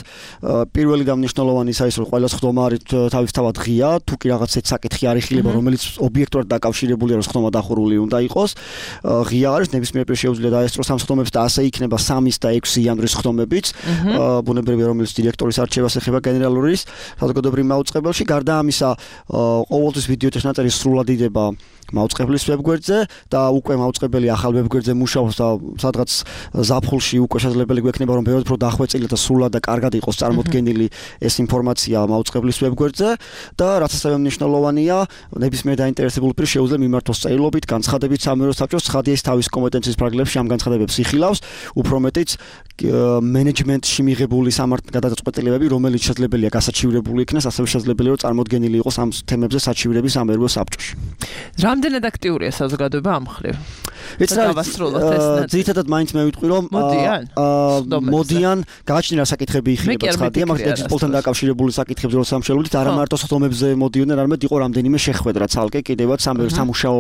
პირველი და მნიშვნელოვანი ის არის, რომ ყველა სხდომა არის თავისთავად ღია, თუ კი რაღაც ეს საკითხი არ იხილება, რომელიც ობიექტურად დაკავშირებულია, რომ სხდომა დახურული უნდა იყოს. ღია არის, ნებისმიერ პირ შეუძლია დაესწროს ამ სხდომებს და ასე იქნება 3 და 6 იანვრის სხდომებიც. ბუნებრივია, რომელიც დირექტორის არჩევას ეხება გენერალურის საზოგადოებრივ მაუწყებელში. გარდა ამისა, ყოველთვის ვიდეო ტექნატერი სრულად იდება მაუწყებლის ვებგვერდზე და უკვე მაუწყებელი ახალ ვებგვერდზე მუშაობს და სადღაც ზაფხულში უკვე შესაძლებელი გვექნება რომ ბევრად უფრო დახვეწილი და სრულად და კარგად იყოს წარმოდგენილი ეს ინფორმაცია მაუწყებლის ვებგვერდზე და რაც ასევე მნიშვნელოვანია ნებისმიერ დაინტერესებულ პირს შეუძლია მიმართოს წერილობით განცხადებით სამეურვეო საბჭოს ცხადია ის თავის კომპეტენციის პრაგლებში ამ განცხადებებს იხილავს უფრო მეტიც მენეჯმენტში მიღებული გადაწყვეტილებები რომელიც შესაძლებელია გასაჩივრებული იქნას ასევე შესაძლებელია რომ წარმოდგენილი იყოს ამ თემებზე საჩივრების სამეურვეო საბჭოში რამდენად აქტიურია საზოგადოება ამ მხრივ? ძირითადად მაინც მე ვიტყვი რომ მოდიან გააჩნია საკითხები იხილება ცხადია მაგრამ ექსპორტთან დაკავშირებული საკითხებზე რომ სამშობლოებით არა მარტო სხდომებზე მოდიოდნენ არამედ იყო რამდენიმე შეხვედრა ცალკე კიდევაც სამუშაო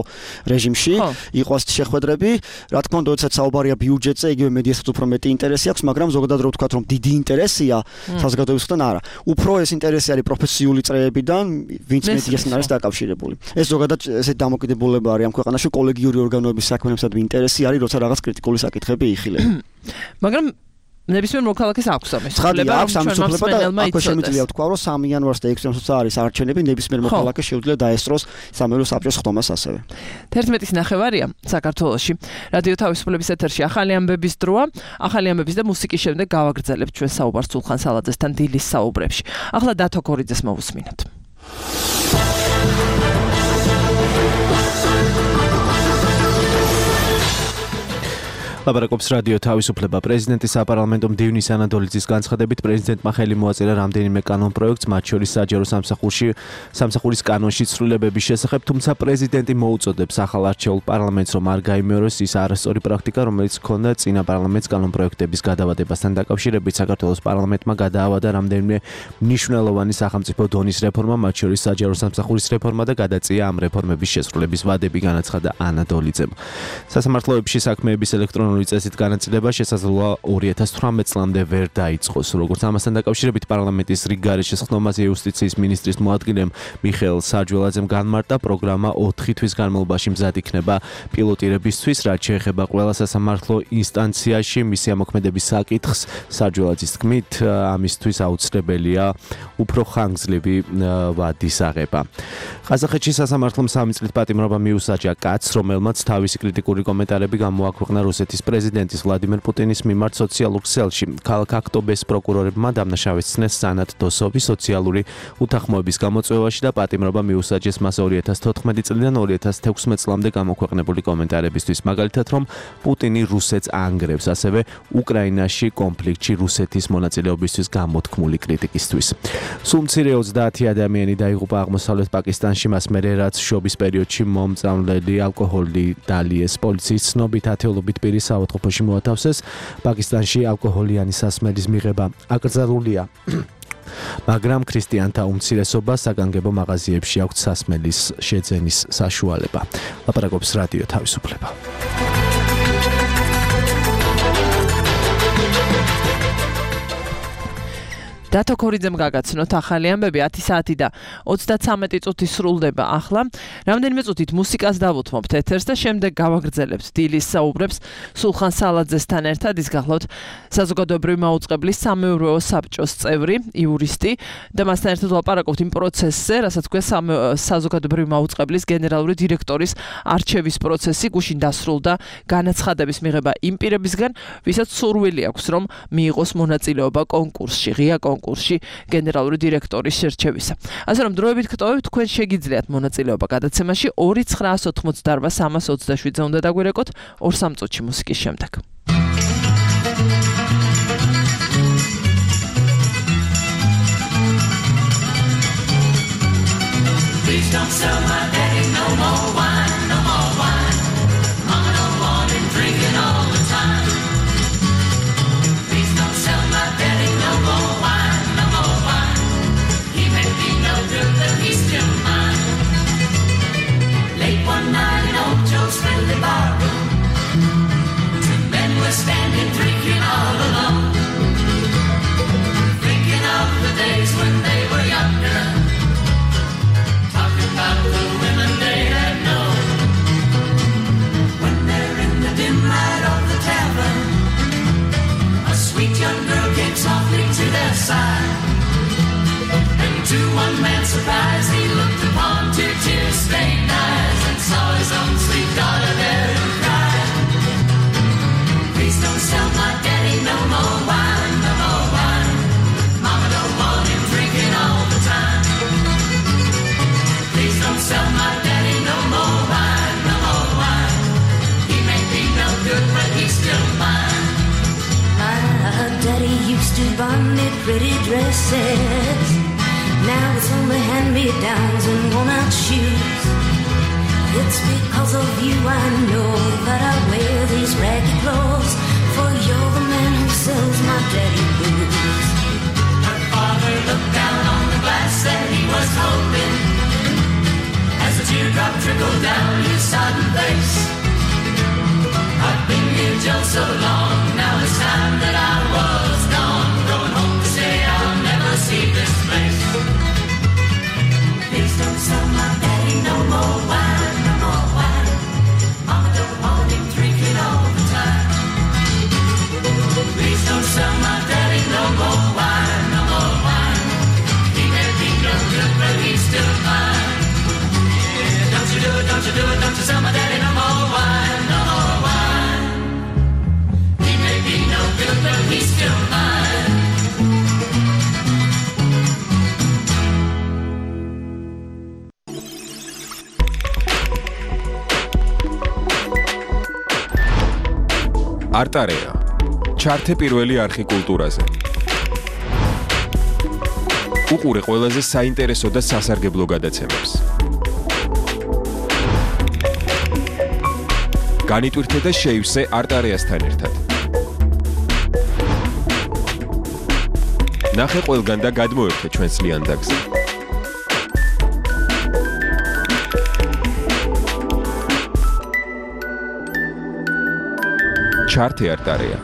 რეჟიმში იყო ასეთი შეხვედრები რა თქმა უნდა როდესაც საუბარია ბიუჯეტზე იგივე მედიასაც უფრო მეტი ინტერესი აქვს მაგრამ ზოგადად რო ვთქვათ რომ დიდი ინტერესია საზოგადოებისგან არა უფრო ეს ინტერესი არის პროფესიული წრეებიდან ვინც მედიასთან არის დაკავშირებული ეს ზოგადად ესე დამოკიდებულება არის ამ ქვეყანაში კოლეგიური ორგანოების საქმეებსაც ინტერესი არის როცა რაღაც κρიტიკული საკითხები იხილება მაგრამ ნებისმიერ მოქალაქეს აქვს ამის ცხადია აქვს ამის უფლება და აქვე შემიძლია ვთქვა რომ 3 იანვარს და 6 იანვარს არის არჩევნები ნებისმიერ მოქალაქეს შეუძლია დაესწროს სამეურვეო საბჭოს ხდომას ასევე 11-ის ნახევარია საქართველოში რადიო თავისუფლების ეთერში ახალი ამბების დროა ახალი ამბების და მუსიკის შემდეგ გავაგრძელებთ ჩვენ საუბარს სულხან სალაძესთან დილის საუბრებში ახლა დათო კორიძეს მოვუსმინოთ ლაპარაკობს რადიო თავისუფლება პრეზიდენტის საპარლამენტო მდივნის ანადოლიძის განცხადებით პრეზიდენტმა ხელი მოაწერა რამდენიმე კანონ პროექტს მათ შორის საჯარო სამსახურის კანონში ცვლილებების შესახებ თუმცა პრეზიდენტი მოუწოდებს ახალ არჩეულ პარლამენტს რომ არ გაიმეოროს ის არასწორი პრაქტიკა რომელიც ჰქონდა წინა პარლამენტს კანონ პროექტების გადავადებასთან დაკავშირებით საქართველოს პარლამენტმა გადაავადა რამდენიმე მნიშვნელოვანი სახელმწიფო დონის რეფორმა მათ შორის საჯარო სამსახურის რეფორმა და გადაწია ამ რეფორმების შესრულების ვადები განაცხადა ანადოლიძემ სასამართლოებში საქმეების ელექტრონული წესით განაწილება შესაძლოა 2018 წლამდე ვერ დაიწყოს. როგორც ამასთან დაკავშირებით პარლამენტის რიგგარეშე ხდომაზე იუსტიციის მინისტრის მოადგილემ მიხეილ საჯველაძემ განმარტა პროგრამა 4 თვის განმავლობაში მზად იქნება პილოტირებისთვის, რაც შეეხება ყველა სასამართლო ინსტანციაში მისი ამოქმედების საკითხს. საჯველაძის თქმით, ამისთვის აუცილებელია უფრო ხანგრძლივი ვადის აღება. ყაზახეთში სასამართლომ 3 წლით პატიმრობა მიუსაჯა კაცს, რომელმაც თავისი კრიტიკული კომენტარები გამოაქვეყნა რუსეთის პრეზიდენტის ვლადიმერ პუტინის მიმართ სოციალურ ქსელში. ქალაქ აქტობეს პროკურორებმა დამნაშავეს ცნეს სანათ დოსოვი სოციალური უთანხმოების გამოწვევაში და პატიმრობა მიუსაჯეს მას 2014 წლიდან 2016 წლამდე გამოქვეყნებული კომენტარებისთვის. მაგალითად, რომ პუტინი რუსეთს ანგრევს, ასევე უკრაინაში კონფლიქტში რუსეთის მონაწილეობისთვის გამოთქმული კრიტიკისთვის. სულ მცირე 30 ადამიანი დაიღუპა აღმოსავლეთ პაკისტანში მას მერე რაც შობის პერიოდში მომწამლელი ალკოჰოლი დალიეს. პოლიციის ცნობით ათეულობით პირი საავადმყოფოში მოათავსეს. პაკისტანში ალკოჰოლიანი სასმელის მიღება აკრძალულია. მაგრამ ქრისტიანთა უმცირესობას საგანგებო მაღაზიებში აქვთ სასმელის შეძენის საშუალება. ლაპარაკობს რადიო თავისუფლება. დათო კორიძემ გაგაცნოთ ახალი ამბები 10 საათი და 33 წუთი სრულდება ახლა. რამდენიმე წუთით მუსიკას დავუთმობთ ეთერს და შემდეგ გავაგრძელებთ დილის საუბრებს სულხან სალაძესთან ერთად. ის გახლავთ საზოგადოებრივი მაუწყებლის სამეურვეო საბჭოს წევრი, იურისტი და მასთან ერთად ვლაპარაკობთ იმ პროცესზე, რასაც ქვია საზოგადოებრივი მაუწყებლის გენერალური დირექტორის არჩევის პროცესი. გუშინ დასრულდა განაცხადების მიღება იმ პირებისგან, ვისაც სურვილი აქვს, რომ მიიღოს მონაწილეობა კონკურსში, ღია კონკურსში გენერალური დირექტორის შერჩევისა. ასე რომ დროებით გტოვებთ, თქვენ შეგიძლიათ მონაწილეობა გადაცემაში 2988327-ზე უნდა დაგვირეკოთ 2-3 წუთში მუსიკის შემდეგ. Please don't sell my daddy no more wine, no more wine. Mama don't want him drinking all the time. Please don't sell my daddy no more wine, no more wine. He may be no good, but he's still mine. Late one night in old Joe's friendly barroom, 2 men were standing drinking all alone, thinking of the days when they were younger. Talking about the women used to buy me pretty dresses. Now it's only hand-me-downs and worn-out shoes. It's because of you I know that I wear these raggy clothes, for you're the man who sells my daddy blues. Her father looked down on the glass and he was hoping, as a teardrop trickled down his sodden face. I've been here just so long, now it's time that I was gone, going home to say I'll never see this place. Please don't sell my daddy no more wine, no more wine. Mama don't want him drinking all the time. Please don't sell my daddy no more wine, no more wine. He may be no good, but he's still mine. Yeah, don't you do it, don't you do it, don't you sell my daddy no more wine, no more wine. He may be no good, but he's still mine. არტარეა ჩართე პირველი არხი კულტურაზე. უყურე ყველაზე საინტერესო და სასარგებლო გადაცემებს. განიტვირთე და შეივსე არტარეასთან ერთად. ნახე ყველგან და გადმოერთე ჩვენს ლიანდაგზე. ჩართე არტარეა.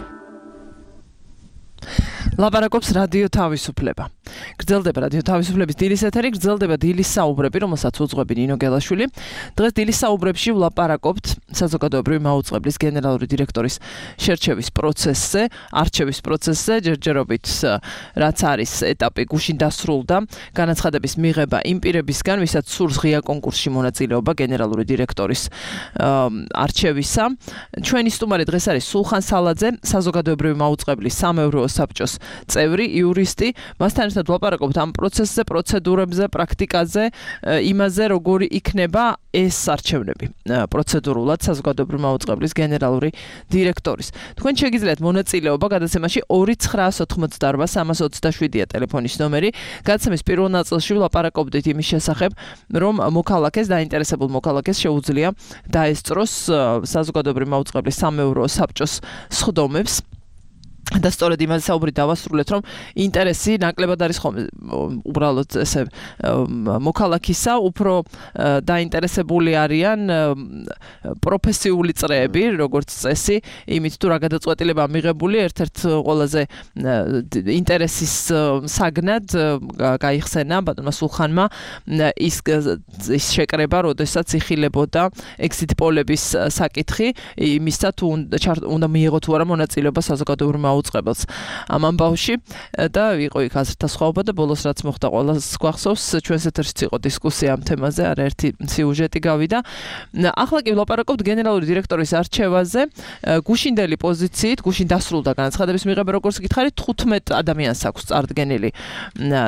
ლაპარაკობს რადიო თავისუფლება. გრძელდება რადიო თავისუფლების დილის ეთერი, გრძელდება დილის საუბრები, რომელსაც უძღვები ნინო გელაშვილი. დღეს დილის საუბრებში ვლაპარაკობთ საზოგადოებრივი მაუწყებლის გენერალური დირექტორის შერჩევის პროცესზე, არჩევის პროცესზე, ჯერჯერობით რაც არის ეტაპი გუშინ დასრულდა, განაცხადების მიღება იმ პირებისგან, ვისაც სურს ღია კონკურსში მონაწილეობა გენერალური დირექტორის არჩევისა. ჩვენი სტუმარი დღეს არის სულხან სალაძე, საზოგადოებრივი მაუწყებლის სამეურვეო საბჭოს წევრი, იურისტი. მასთან ერთად ვლაპარაკობთ ამ პროცესზე, პროცედურებზე, პრაქტიკაზე, იმაზე, როგორი იქნება ეს არჩევნები პროცედურულად საზოგადოებრივი მაუწყებლის გენერალური დირექტორის. თქვენ შეგიძლიათ მონაწილეობა გადაცემაში 2988327-ია ტელეფონის ნომერი. გადაცემის პირველ ნაწილში ვლაპარაკობდით იმის შესახებ, რომ მოქალაქეს, დაინტერესებულ მოქალაქეს შეუძლია დაესწროს საზოგადოებრივი მაუწყებლის სამეურვეო საბჭოს სხდომებს. და სწორედ იმაზე საუბრით დავასრულეთ, რომ ინტერესი ნაკლებად არის ხომ უბრალოდ ესე მოქალაქისა, უფრო დაინტერესებული არიან პროფესიული წრეები, როგორც წესი, იმით თუ რა გადაწყვეტილება მიღებული, ერთ-ერთ ყველაზე ინტერესის საგნად გაიხსენა ბატონმა სულხანმა ის შეკრება, როდესაც იხილებოდა exit პოლების საკითხი, იმისა თუ უნდა მიიღო თუ არა მონაწილეობა საზოგადოებრივ უწყებელს ამ ამბავში და იყო იქ აზრთა სხვაობა და ბოლოს რაც მოხდა ყველას გვახსოვს ჩვენს ეთერშიც იყო დისკუსია ამ თემაზე, არაერთი სიუჟეტი გავიდა. ახლა კი ვლაპარაკობთ გენერალური დირექტორის არჩევაზე. გუშინდელი პოზიციით, გუშინ დასრულდა განაცხადების მიღება, როგორც გითხარით, 15 ადამიანს აქვს წარდგენილი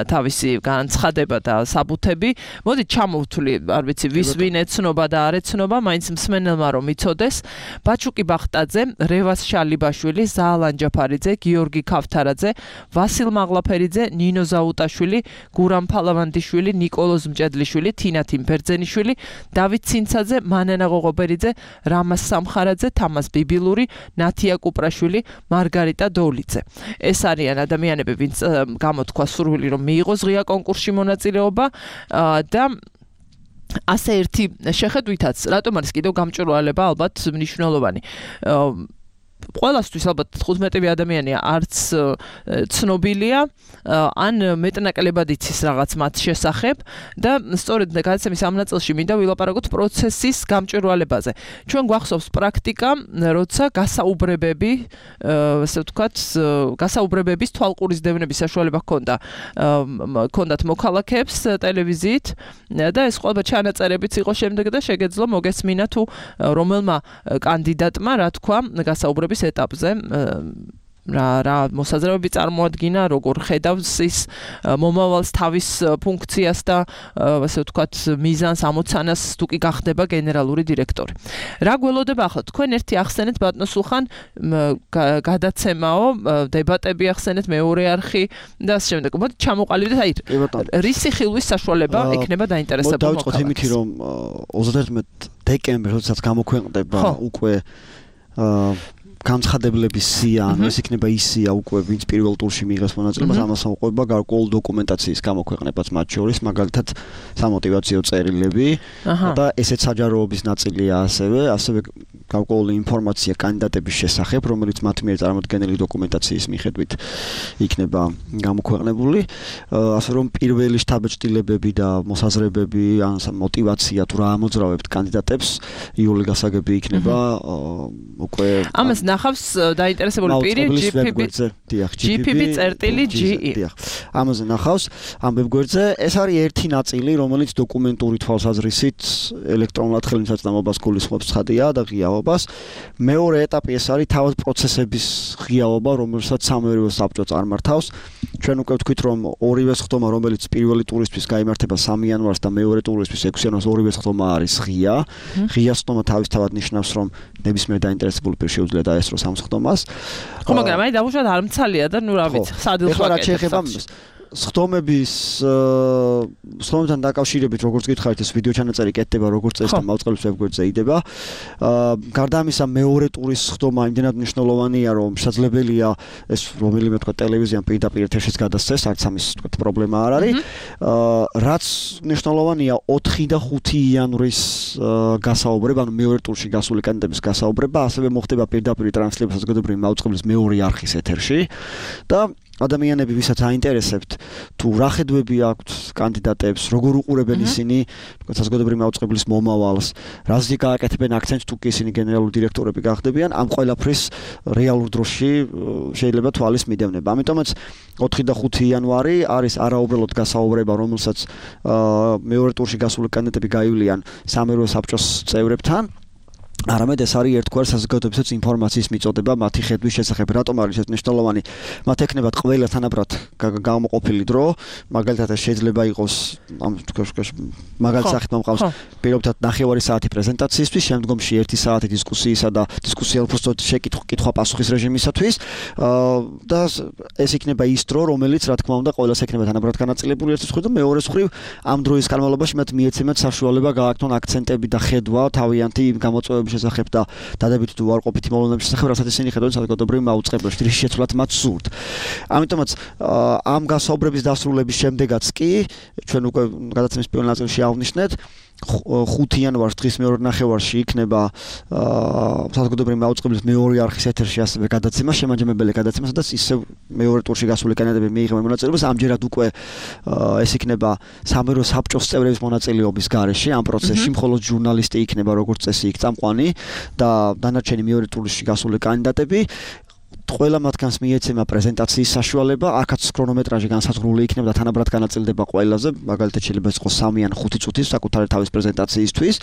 თავისი განაცხადება და საბუთები. მოდით ჩამოვთვლი, არ ვიცი, ვის ვინ ეცნობა და არ ეცნობა, მაინც მსმენელმა რომ იცოდეს. ბაჩუკი ბახტაძე, რევას შალიბაშვილი, ზაალან ჯაფარი, გიორგი ქავთარაძე, ვასილ მაღლაფერიძე, ნინო ზაუტაშვილი, გურამ ფალავანდიშვილი, ნიკოლოზ მჭედლიშვილი, თინათი ბერძენიშვილი, დავით ცინცაძე, მანანა ღოღობერიძე, რამას სამხარაძე, თამას ბიბილური, ნათია კუპრაშვილი, მარგარიტა დოლიძე. ეს არიან ადამიანები, ვინც გამოთქვა სურვილი რომ მიიღოს ღია კონკურსში მონაწილეობა და ასე ერთი შეხედვითაც, რატომ არის კიდევ გამჭვირვალება ალბათ მნიშვნელოვანი. ყველასთვის ალბათ 15 ადამიანია არც ცნობილია ან მეტნაკლებად იცის რაღაც მათ შესახებ და სწორედ გადაცემის ამ ნაწილში მინდა ვილაპარაკოთ პროცესის გამჭვირვალებაზე. ჩვენ გვახსოვს პრაქტიკა, როცა გასაუბრებები, ასე ვთქვათ, გასაუბრებების თვალყურის დევნების საშუალება ჰქონდათ მოქალაქეებს ტელევიზიით და ეს ყველა ჩანაწერებიც იყო შემდეგ და შეგეძლო მოგესმინა თუ რომელმა კანდიდატმა რა თქვა გასაუბრების ეტაპზე რა მოსაზრებები წარმოადგინა, როგორ ხედავს ის მომავალს თავის ფუნქციას და ასე ვთქვათ მიზანს ამოცანას თუ კი გახდება გენერალური დირექტორი. რა გველოდება ახლა თქვენ ერთი ახსენეთ ბატონო სულხან გადაცემაო, დებატები ახსენეთ მეორე არხი და ასე შემდეგ. მოდი ჩამოყალიბდეთ აი რისი ხილვის საშუალება ექნება დაინტერესებულ მოქალაქეს. დავიწყოთ იმითი რომ 31 დეკემბერს როდესაც გამოქვეყნდება უკვე განცხადებლების სია, ანუ ეს იქნება ის სია უკვე ვინც პირველ ტურში მიიღებს მონაწილეობას, ამას მოყვება გარკვეული დოკუმენტაციის გამოქვეყნებაც მათ შორის, მაგალითად სამოტივაციო წერილები და ესეც საჯაროობის ნაწილია ასევე გარკვეული ინფორმაცია კანდიდატების შესახებ, რომელიც მათ მიერ წარმოდგენილი დოკუმენტაციის მიხედვით იქნება გამოქვეყნებული, ასე რომ პირველი შთაბეჭდილებები და მოსაზრებები, ან мотивация თუ რა ამოძრავებთ კანდიდატებს, იული გასაგები იქნება უკვე ამას ნახავს დაინტერესებული პირი GPP.ge. ამაზე ნახავს ამ ვებგვერდზე. ეს არის ერთი ნაწილი, რომელიც დოკუმენტური თვალსაზრისით ელექტრონულად ხელმისაწვდომობას გულისხმობს ცხადია და ღიაობას. მეორე ეტაპი ეს არის თავად პროცესების ღიაობა, რომელსაც სამეურვეო საბჭო წარმართავს. ჩვენ უკვე ვთქვით, რომ ორივე სხდომა, რომელიც პირველი ტურისთვის გაიმართება 3 იანვარს და მეორე ტურისთვის 6 იანვარს, ორივე სხდომა არის ღია. ღია სხდომა თავისთავად ნიშნავს, რომ ნებისმიერ დაინტერესებულ პირს შეუძლია დაესწროს ამ სხდომას. ხო, მაგრამ აი დაუშვათ არ მცალია და ნუ რა ვიცი, სადილს ვაკეთებ. ეხლა რა შეეხება სხდომებთან დაკავშირებით, როგორც გითხარით, ეს ვიდეო ჩანაწერი კეთდება, როგორც წესი და მაუწყებლობის ვებგვერდზე იდება. გარდა ამისა, მეორე ტურის სხდომა იმდენად მნიშვნელოვანია, რომ შესაძლებელია ეს რომელიმე თქვა ტელევიზიამ პირდაპირ ეთერშიც გადასცეს, არც ამის თქვა პრობლემა არ არის. რაც მნიშვნელოვანია 4 და 5 იანვრის გასაუბრება, ანუ მეორე ტურში გასული კანდიდატების გასაუბრება, ასევე მოხდება პირდაპირ ტრანსლირება საზოგადოებრივი მაუწყებლის მეორე არხის ეთერში და ადამიანები, ვისაც აინტერესებთ, თუ რა ხედვები აქვთ კანდიდატებს, როგორ უყურებენ ისინი, თქვა საზოგადოებრივი მაუწყებლის მომავალს, რაზე გააკეთებენ აქცენტს თუ კი ისინი გენერალური დირექტორები გახდებიან, ამ ყველაფრის რეალურ დროში შეიძლება თვალის მიდევნება. ამიტომაც 4 და 5 იანვარი არის არაუბრალოდ გასაუბრება, რომელსაც მეორე ტურში გასული კანდიდატები გაივლიან სამეურვეო საბჭოს წევრებთან. არამედ ეს არის ერთგვარ საზოგადოებრივი ინფორმაციის მიწოდება მათი ხედვის შესახებ. რატომ არის ეს მნიშვნელოვანი? მათ ექნებათ ყველა თანაბრად გამოყოფილი დრო, მაგალითად შეიძლება იყოს ამ მაგალითად სახით მომყავს პირობითად 9 საათი პრეზენტაციისთვის, შემდგომში 1 საათი დისკუსიისა და დისკუსია უბრალოდ კითხვა-პასუხის რეჟიმისათვის და ეს იქნება ის დრო, რომელიც რა თქმა უნდა ყველას ექნება თანაბრად განაწილებული ერთის მხრივ და მეორე მხრივ ამ დროის განმავლობაში მათ მიეცემათ საშუალება გააკეთონ აქცენტები და ხედვა თავიანთი გამოწვევების შესახებ და დადებითი თუ უარყოფითი მოვლენების შესახებ, რასაც ისინი ხედავენ საზოგადოებრივ მაუწყებელში, რის შეცვლად მათ სურთ. ამიტომაც ამ გასაუბრების დასრულების შემდეგაც კი ჩვენ უკვე გადაცემის პირველ ნაწილში ავნიშნეთ 5 იანვარს დღის მეორე ნახევარში იქნება საზოგადოებრივი მაუწყებლის მეორე არხის ეთერში ასევე გადაცემა, შემაჯამებელი გადაცემა, სადაც ისევ მეორე ტურში გასული კანდიდატები მიიღებენ მონაწილეობას. ამჯერად უკვე ეს იქნება სამეურვეო საბჭოს წევრების მონაწილეობის გარეშე ამ პროცესში, მხოლოდ ჟურნალისტი იქნება როგორც წესი იქ წამყვანი და დანარჩენი მეორე ტურში გასული კანდიდატები. ყველა მათგანს მიეცემა პრეზენტაციის საშუალება, აქაც ქრონომეტრაჟი განსაზღვრული იქნება და თანაბრად განაწილდება ყველაზე, მაგალითად შეიძლება იყოს 3 ან 5 წუთი საკუთარი თავის პრეზენტაციისთვის.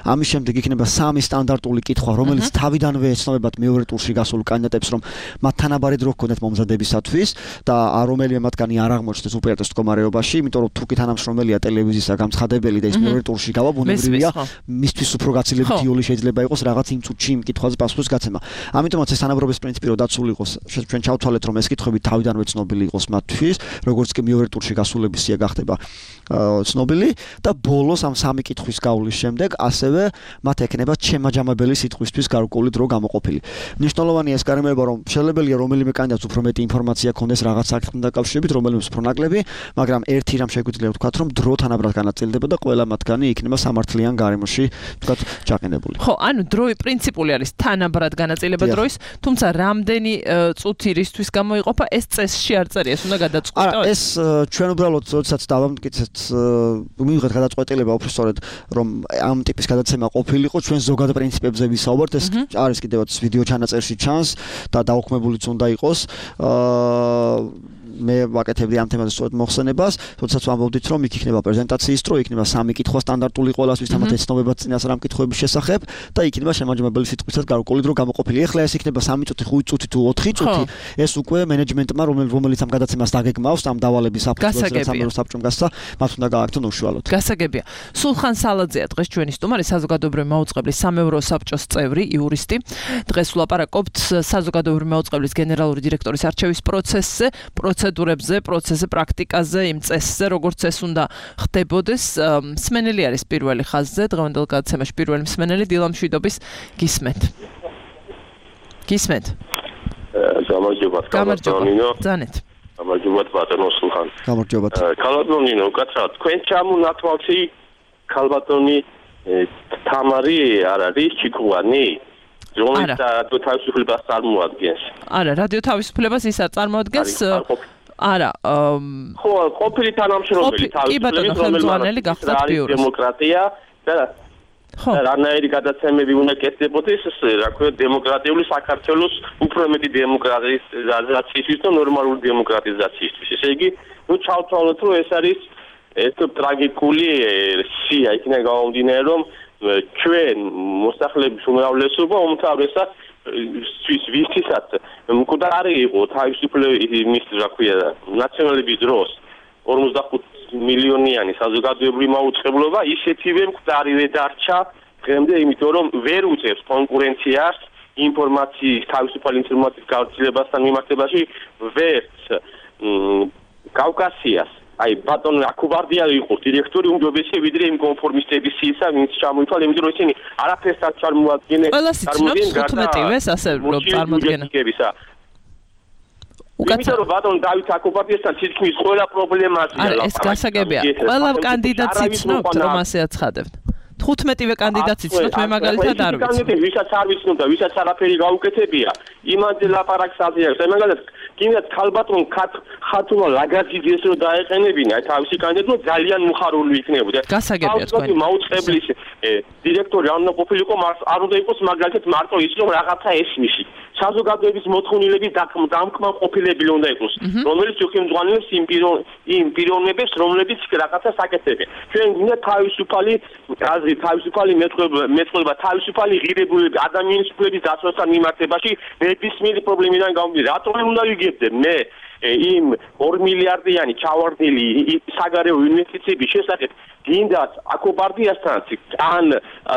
ამის შემდეგ იქნება 3 სტანდარტული კითხვა, რომელიც თავიდანვე ეცნობათ მეორე ტურში გასულ კანდიდატებს, რომ მათ თანაბარი დრო ჰქონდეთ მომზადებისათვის და რომელიმე მათგანი არ აღმოჩნდეს უპირატეს მდგომარეობაში, იმიტომ რომ თუ კი თანამშრომელია ტელევიზიის გამცხადებელი და ის მეორე ტურში გავა, ბუნებრივია მისთვის უფრო გაცილებით იოლი შეიძლება იყოს რაღაც იმ წუთში იმ კითხვაზე პასუხის გაცემა. ამიტომაც ეს თანაბრობის პრინციპი რო დაცული ჩვენ ჩავთვალეთ, რომ ეს კითხვები თავიდანვე ცნობილი იყოს მათთვის, როგორც კი მეორე ტურში გასულების სია გახდება ცნობილი და ბოლოს ამ 3 კითხვის გავლის შემდეგ ასევე მათ ექნებათ შემაჯამებელი სიტყვისთვის გარკვეული დრო გამოყოფილი. მნიშვნელოვანია ეს გარემოება, რომ შესაძლებელია რომელიმე კანდიდატს უფრო მეტი ინფორმაცია ჰქონდეს რაღაც საკითხთან დაკავშირებით, რომელიმეს უფრო ნაკლები, მაგრამ ერთი რამ შეგვიძლია ვთქვათ, რომ დრო თანაბრად განაწილდება და ყველა მათგანი იქნება სამართლიან გარემოში, ვთქვათ, ჩაყენებული. ხო, ანუ დროი პრინციპული არის თანაბრად განაწილება დროის, თუმცა რამდენი წუთი რისთვის გამოიყოფა, ეს წესში არ წერია, ეს უნდა გადაწყვეტო. არა, ეს ჩვენ უბრალოდ როდესაც დავამტკიცეთ, მივიღეთ გადაწყვეტილება უბრალოდ, რომ ამ ტიპის გადაცემა ყოფილიყო, ჩვენ ზოგად პრინციპებზე ვისაუბრეთ, ეს არის კიდევაც ვიდეო ჩანაწერში ჩანს და დაუქმებულიც უნდა იყოს. მე ვაკეთებდი ამ თემაზე სწორედ მოხსენებას, როდესაც ვამბობდით, რომ იქ იქნება პრეზენტაციის დრო, იქნება 3 კითხვა სტანდარტული ყველასთვის, თამათ ეცნობება წინას რამ კითხვების შესახებ და იქნება შემაჯამებელი სიტყვისას გარკვეული დრო გამოყოფილი. ეხლა ეს იქნება 3 წუთი, 5 წუთი თუ 4 წუთი, ეს უკვე მენეჯმენტმა, რომელიც ამ გადაცემას დაგეგმავს, ამ დავალების საფუძველზე სამერო საბჭომ გასცა, მათ უნდა გააკეთონ უშუალოდ. გასაგებია. სულხან სალაძეა დღეს ჩვენი სტუმარი, საზოგადოებრივი მაუწყებლის სამეურო საბჭოს წევრი, იურისტი. დღეს ვლაპარაკობთ საზოგადოებრივი მაუწყებლის გენერალური დირექტორის არჩევის პროცესზე, პროცედურებზე, პროცესზე, პრაქტიკაზე, იმ წესზე, როგორც ეს უნდა ხდებოდეს. მსმენელი არის პირველი ხაზზე, დღევანდელ გადაცემაში პირველი მსმენელი დილა მშვიდობის გისმენთ. გისმენთ. გამარჯობა, კალატონინო. ძანეთ. გამარჯობა ბატონო სულხან. გამარჯობა. კალატონინო, უკაცრავად, თქვენ ჩამონათვალში კალატონი თამარი არ არის ჩიქუანი? რომელიც რადიო თავისუფლებას წარმოადგენს. არა, რადიო თავისუფლებას ის არ წარმოადგენს. არა, ხო, ყოფილი თანამშრომელი თავისუფლების ხელმძღვანელი გახდათ ბიუროს. დემოკრატია და რანაირი გადაცემები უნდა კეთდებოდეს, რა ქვია, დემოკრატიული საქართველოს უფრო მეტი დემოკრატიზაციისთვის და ნორმალური დემოკრატიზაციისთვის. ესე იგი, ჩავთვალოთ, რომ ეს არის ეს ტრაგიკული სია, იქნება გამომდინარე, რომ ჩვენ მოსახლეობის უმრავლესობა უმთავრესად ვისთვისაც მკვდარი იყო თავისუფლების, რა ქვია, ნაციონალების დროს 45 მილიონიანი საზოგადოებრივი მაუწყებლობა ისეთივე მკვდარივე დარჩა დღემდე, იმიტომ რომ ვერ უწევს კონკურენციას ინფორმაციის, თავისუფალი ინფორმაციის გავრცელებასთან მიმართებაში, ვერც კავკასიას. აი ბატონ აკუბარდია იყო დირექტორი უმჯობესია ვიდრე იმ კონფორმისტების სიისა, ვინც ჩამოითვალა, იმიტომ რომ ისინი არაფერს არ წარმოადგენენ. ყველას იცნობს 15-ს ასე რომ წარმოადგენენ. იმიტომ რომ ბატონ დავით აკუბარდიასთან თითქმის ყველა პრობლემაა. არა, ეს გასაგებია. ყველა კანდიდატს იცნობთ, რომ ასე აცხადებთ. 15-ვე კანდიდატს იცნობთ, მე მაგალითად არ ვიცი. ვისაც არ ვიცნობ და ვისაც არაფერი გაუკეთებია, იმაზე ლაპარაკს აზიარებს. აი მაგალითად, კიდევ ქალბატონ ხათუნა ლაგაზიძეს რო დაეყენებინა, აი თავისი კანდიდატურა ძალიან მუხარული იქნებოდა. გასაგებია თქვენ. მაუწყებლის დირექტორი არ უნდა ყოფილიყო, არ უნდა იყოს მაგალითად მარტო ის რომ რაღაცა ესმისი. საზოგადოების მოთხოვნილების დამკმან ყოფილები უნდა იყოს, რომელიც უხელმძღვანელებს იმ პიროვნებებს, რომლებიც რაღაცას აკეთებენ. ჩვენ გვინდა თავისუფალი აზრი, თავისუფალი მეწყობა, თავისუფალი ღირებულება ადამიანის უფლების დაცვასთან მიმართებაში ნებისმიერი პრობლემიდან გამომდინარე. რატომ უნდა ვიგებდე მე იმ 2 მილიარდიანი ჩავარდნილი საგარეო ინვესტიციების შესახებ გინდათ აკუბარდიასთანაც ან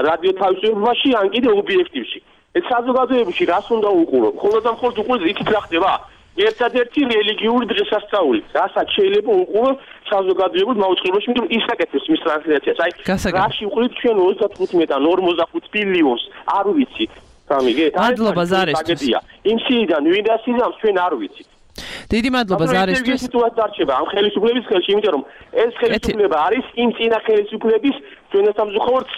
რადიო თავისუფლებაში ან კიდე ობიექტივში. ეს საზოგადოებაში რას უნდა უყურო? მხოლოდ და მხოლოდ უყუროს იქით რა ხდება? ერთადერთი რელიგიური დღესასწაული. რასაც შეიძლება უყურო საზოგადოებრივ მაუწყებელში, იმიტომ ის აკეთებს მის ტრანსლაციას. აი, რაში უყურით ჩვენ 35 ან 45 ბილიონს, არ ვიცით. სამიგეთ? მადლობა ზარისთვის. იმ სიიდან ვინ დასიზამს ჩვენ არ ვიცით. დიდი მადლობა ზარისთვის. ეს სიტუაცია დარჩება ამ ხელისუფლების ხელში, იმიტომ რომ ეს ხელისუფლება არის იმ წინა ხელისუფლების ჩვენ სამზუხართ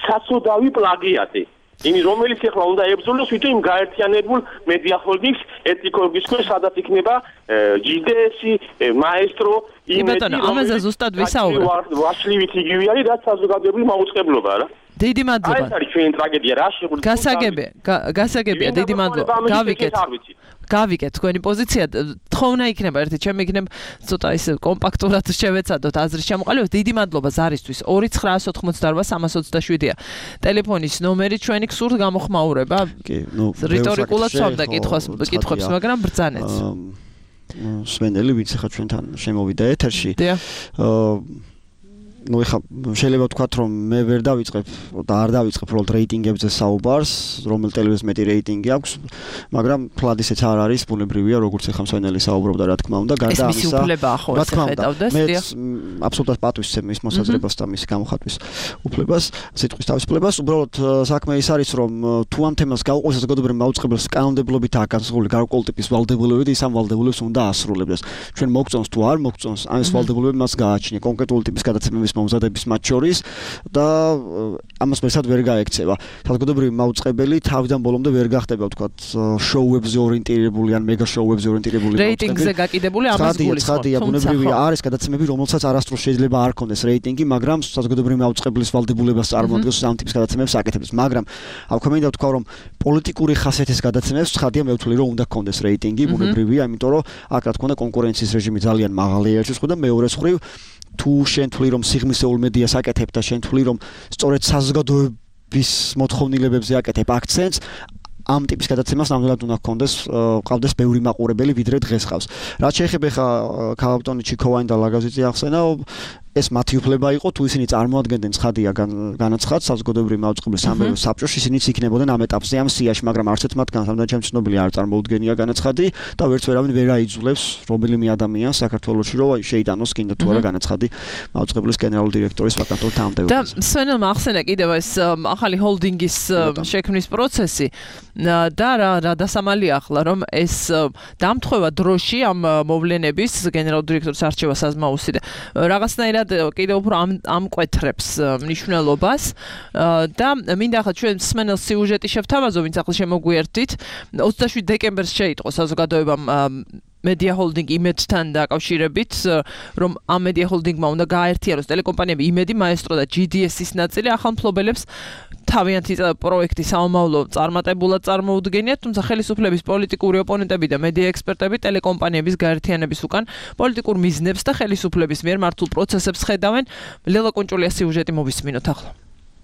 საცოდავი პლაგიატი. იმის რომელიც ახლა უნდა ებრძოლოს თვითონ იმ გაერთიანებულ მედია ჰოლდინგს ეთიკოლოგიის ქვეშ, სადაც იქნება GDS-ი, მაესტრო, იმედია, ამაზე ზუსტად ვისაუბრებ. ვაშლივით იგივე არის, რაც საზოგადოებრივი მაუწყებლობა რა. დიდი მადლობა. ეს არის ჩვენი ტრაგედია, რა შეგვიძლია. გასაგებია, დიდი მადლობა. გავიგეთ თქვენი პოზიცია. თხოვნა იქნება ერთი, ჩემი იქნება ცოტა ის კომპაქტურად შევეცადოთ აზრის ჩამოყალიბებას. დიდი მადლობა ზარისთვის. 2988327-ია ტელეფონის ნომერი, ჩვენი გსურთ გამოხმაურება. კი, ნუ რიტორიკულად სვამდა კითხვებს, მაგრამ ბრძანეთ. სვენელი, ვინც ახლა ჩვენთან შემოვიდა ეთერში. ну ეხა შეიძლება ვთქვათ რომ მე ვერ დავიწყებ და არ დავიწყებ უბრალოდ რეიტინგებზე საუბარს, რომელ ტელევიზიას მეტი რეიტინგი აქვს, მაგრამ თლად ისეც არ არის, ბუნებრივია, როგორც ეხა მსვენელი საუბრობდა, რა თქმა უნდა, გარდა ამისა. ეს მისულება ხო ეს ხედავდეს, მე აბსოლუტურად პატივისცემ მის მოსაზრებას და მის გამოხატვის უფლებას, სიტყვის თავისუფლებას. უბრალოდ საქმე ის არის, რომ თუ ამ თემას გაუყურებს საზოგადოებრივ მაუწყებელს კანონმდებლობით აკანონმდებლობი გარკვეული ტიპის ვალდებულებები, ის ამ ვალდებულებას უნდა ასრულებდეს. ჩვენ მოგწონს თუ არ მოგწონს, ამ ეს ვალდებულებები მას გააჩნია კონკრეტული ტიპის გადაცემების მომზადების მათ შორის და ამას მესად ვერ გაექცევა. საზოგადოებრივი მაუწყებელი თავიდან ბოლომდე ვერ გახდება ვთქვათ შოუებზე ორიენტირებული ან მეგა შოუებზე ორიენტირებული რეიტინგზე გაკიდებული ამას გულისხმობ. ცხადია, ბუნებრივია არის გადაცემები, რომელსაც არასდროს შეიძლება არ ქონდეს რეიტინგი, მაგრამ საზოგადოებრივი მაუწყებლის ვალდებულებას წარმოადგენს ამ ტიპის გადაცემებს აკეთებს, მაგრამ აქვე მინდა ვთქვა, რომ პოლიტიკური ხასიათის გადაცემებს ცხადია მე ვთვლი, რომ უნდა ქონდეს რეიტინგი, ბუნებრივია, იმიტომ რომ აქ რა თქმა უნდა კონკურენციის რეჟიმი ძალიან მაღალია ერთის მხრივ და მეორეს მხრივ თუ შენ თვლი რომ სიღრმისეულ მედიას აკეთებ და შენ თვლი რომ სწორედ საზოგადოების მოთხოვნილებებზე აკეთებ აქცენტს ამ ტიპის გადაცემას ნამდვილად უნდა ყავდეს ბევრი მაყურებელი ვიდრე დღეს ყავს. რაც შეეხება ხა ქალბატონი ჩიქოვანი და ლაგაზიძე ახსენა ეს მათი უფლება იყო თუ ისინი წარმოადგენდნენ ცხადია განაცხადს საზოგადოებრივი მაუწყებლის სამეურნეო საბჭოში ისინიც იქნებოდნენ ამ ეტაპზე ამ სიაში მაგრამ არც ერთ მათგან სამდენ ჩემს ცნობილი არ წარმოუდგენია განაცხადი და ვერც ვერავინ ვერ აიძულებს რომელიმე ადამიანს საქართველოში რომ შეიტანოს კიდე თუ არა განაცხადი მაუწყებლის გენერალური დირექტორის ვაკანტურ თანამდებობას. და სვენელმა ახსენა კიდევ ეს ახალი ჰოლდინგის შექმნის პროცესი და რა დასამალია ახლა რომ ეს დამთხოვა დროში ამ მოვლენების გენერალური დირექტორის არჩევა საზმაოსი და რაღაცნაირად კიდევ უფრო ამკვეთრებს მნიშვნელობას და მინდა ახლა ჩვენ სმენელ სიუჟეტი შევთავაზო ვინც ახლა შემოგვიერთდით 27 დეკემბერს შეიტყო საზოგადოებამ Media Holding იმედთან დაკავშირებით რომ ამ Media Holding-მა უნდა გააერთიანოს ტელეკომპანიები იმედი მაესტრო და GDS-ის ნაწილი ახალ მფლობელებს თავიანთი პროექტი საომავლო წარმატებულად წარმოუდგენიათ, თუმცა ხელისუფლების პოლიტიკური ოპონენტები და მედია ექსპერტები ტელეკომპანიების გაერთიანების უკან პოლიტიკურ მიზნებს და ხელისუფლების მიერ მართულ პროცესებს ხედავენ. ლელა კონჭულია სიუჟეტი მოვისმინოთ ახლა.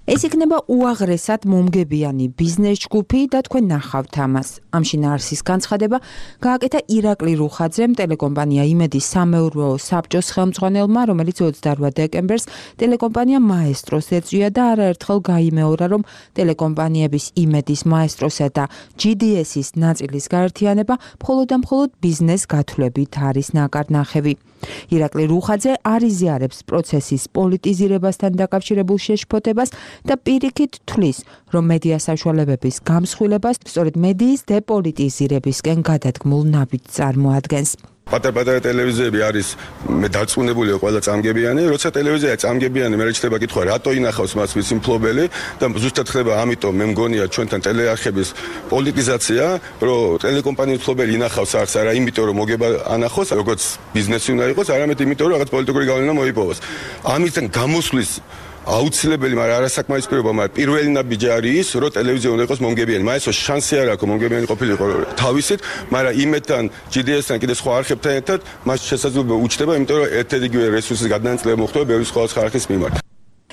ეს იქნება უაღრესად მომგებიანი ბიზნეს ჯგუფი და თქვენ ნახავთ ამას. ამ შინაარსის განცხადება გააკეთა ირაკლი რუხაძემ ტელეკომპანია იმედის სამეურვეო საბჭოს ხელმძღვანელმა, რომელიც 28 დეკემბერს ტელეკომპანია მაესტროს ეწვია და არაერთხელ გაიმეორა, რომ ტელეკომპანიების იმედის მაესტროსა და GDS-ის ნაწილის გაერთიანება მხოლოდ და მხოლოდ ბიზნეს გათვლებით არის ნაკარნახევი. ირაკლი რუხაძე არ იზიარებს პროცესის პოლიტიზირებასთან დაკავშირებულ შეშფოთებას და პირიქით თვლის, რომ მედია საშუალებების გამსხვილებას სწორედ მედიის დეპოლიტიზირებისკენ გადადგმულ ნაბიჯს წარმოადგენს. პატარ-პატარა ტელევიზიები არის მე დარწმუნებული ყველა წამგებიანი, როცა ტელევიზია წამგებიანი, მე რჩება კითხვა, რატო ინახავს მას ვიცი მფლობელი და ზუსტად ხდება ამიტომ მე მგონია ჩვენთან ტელეარხების პოლიტიზაცია, რომ ტელეკომპანიის მფლობელი ინახავს არც არა იმიტომ რომ მოგება ანახოს, როგორც ბიზნესი უნდა იყოს, არამედ იმიტომ რომ რაღაც პოლიტიკური გავლენა მოიპოვოს. ამისგან გამოსვლის აუცილებელი, მაგრამ არასაკმარის პირობა, მაგრამ პირველი ნაბიჯი არის ის, რომ ტელევიზია უნდა იყოს მომგებიანი. მაესო შანსი არ აქვს მომგებიანი ყოფილიყო თავისით, მაგრამ იმედთან GDS-თან კიდე სხვა არხებთან ერთად მას შესაძლებლობა უჩნდება, იმიტომ რომ ერთ-ერთი რესურსის გადანაწილება მოხდება ბევრი სხვა არხის მიმართ.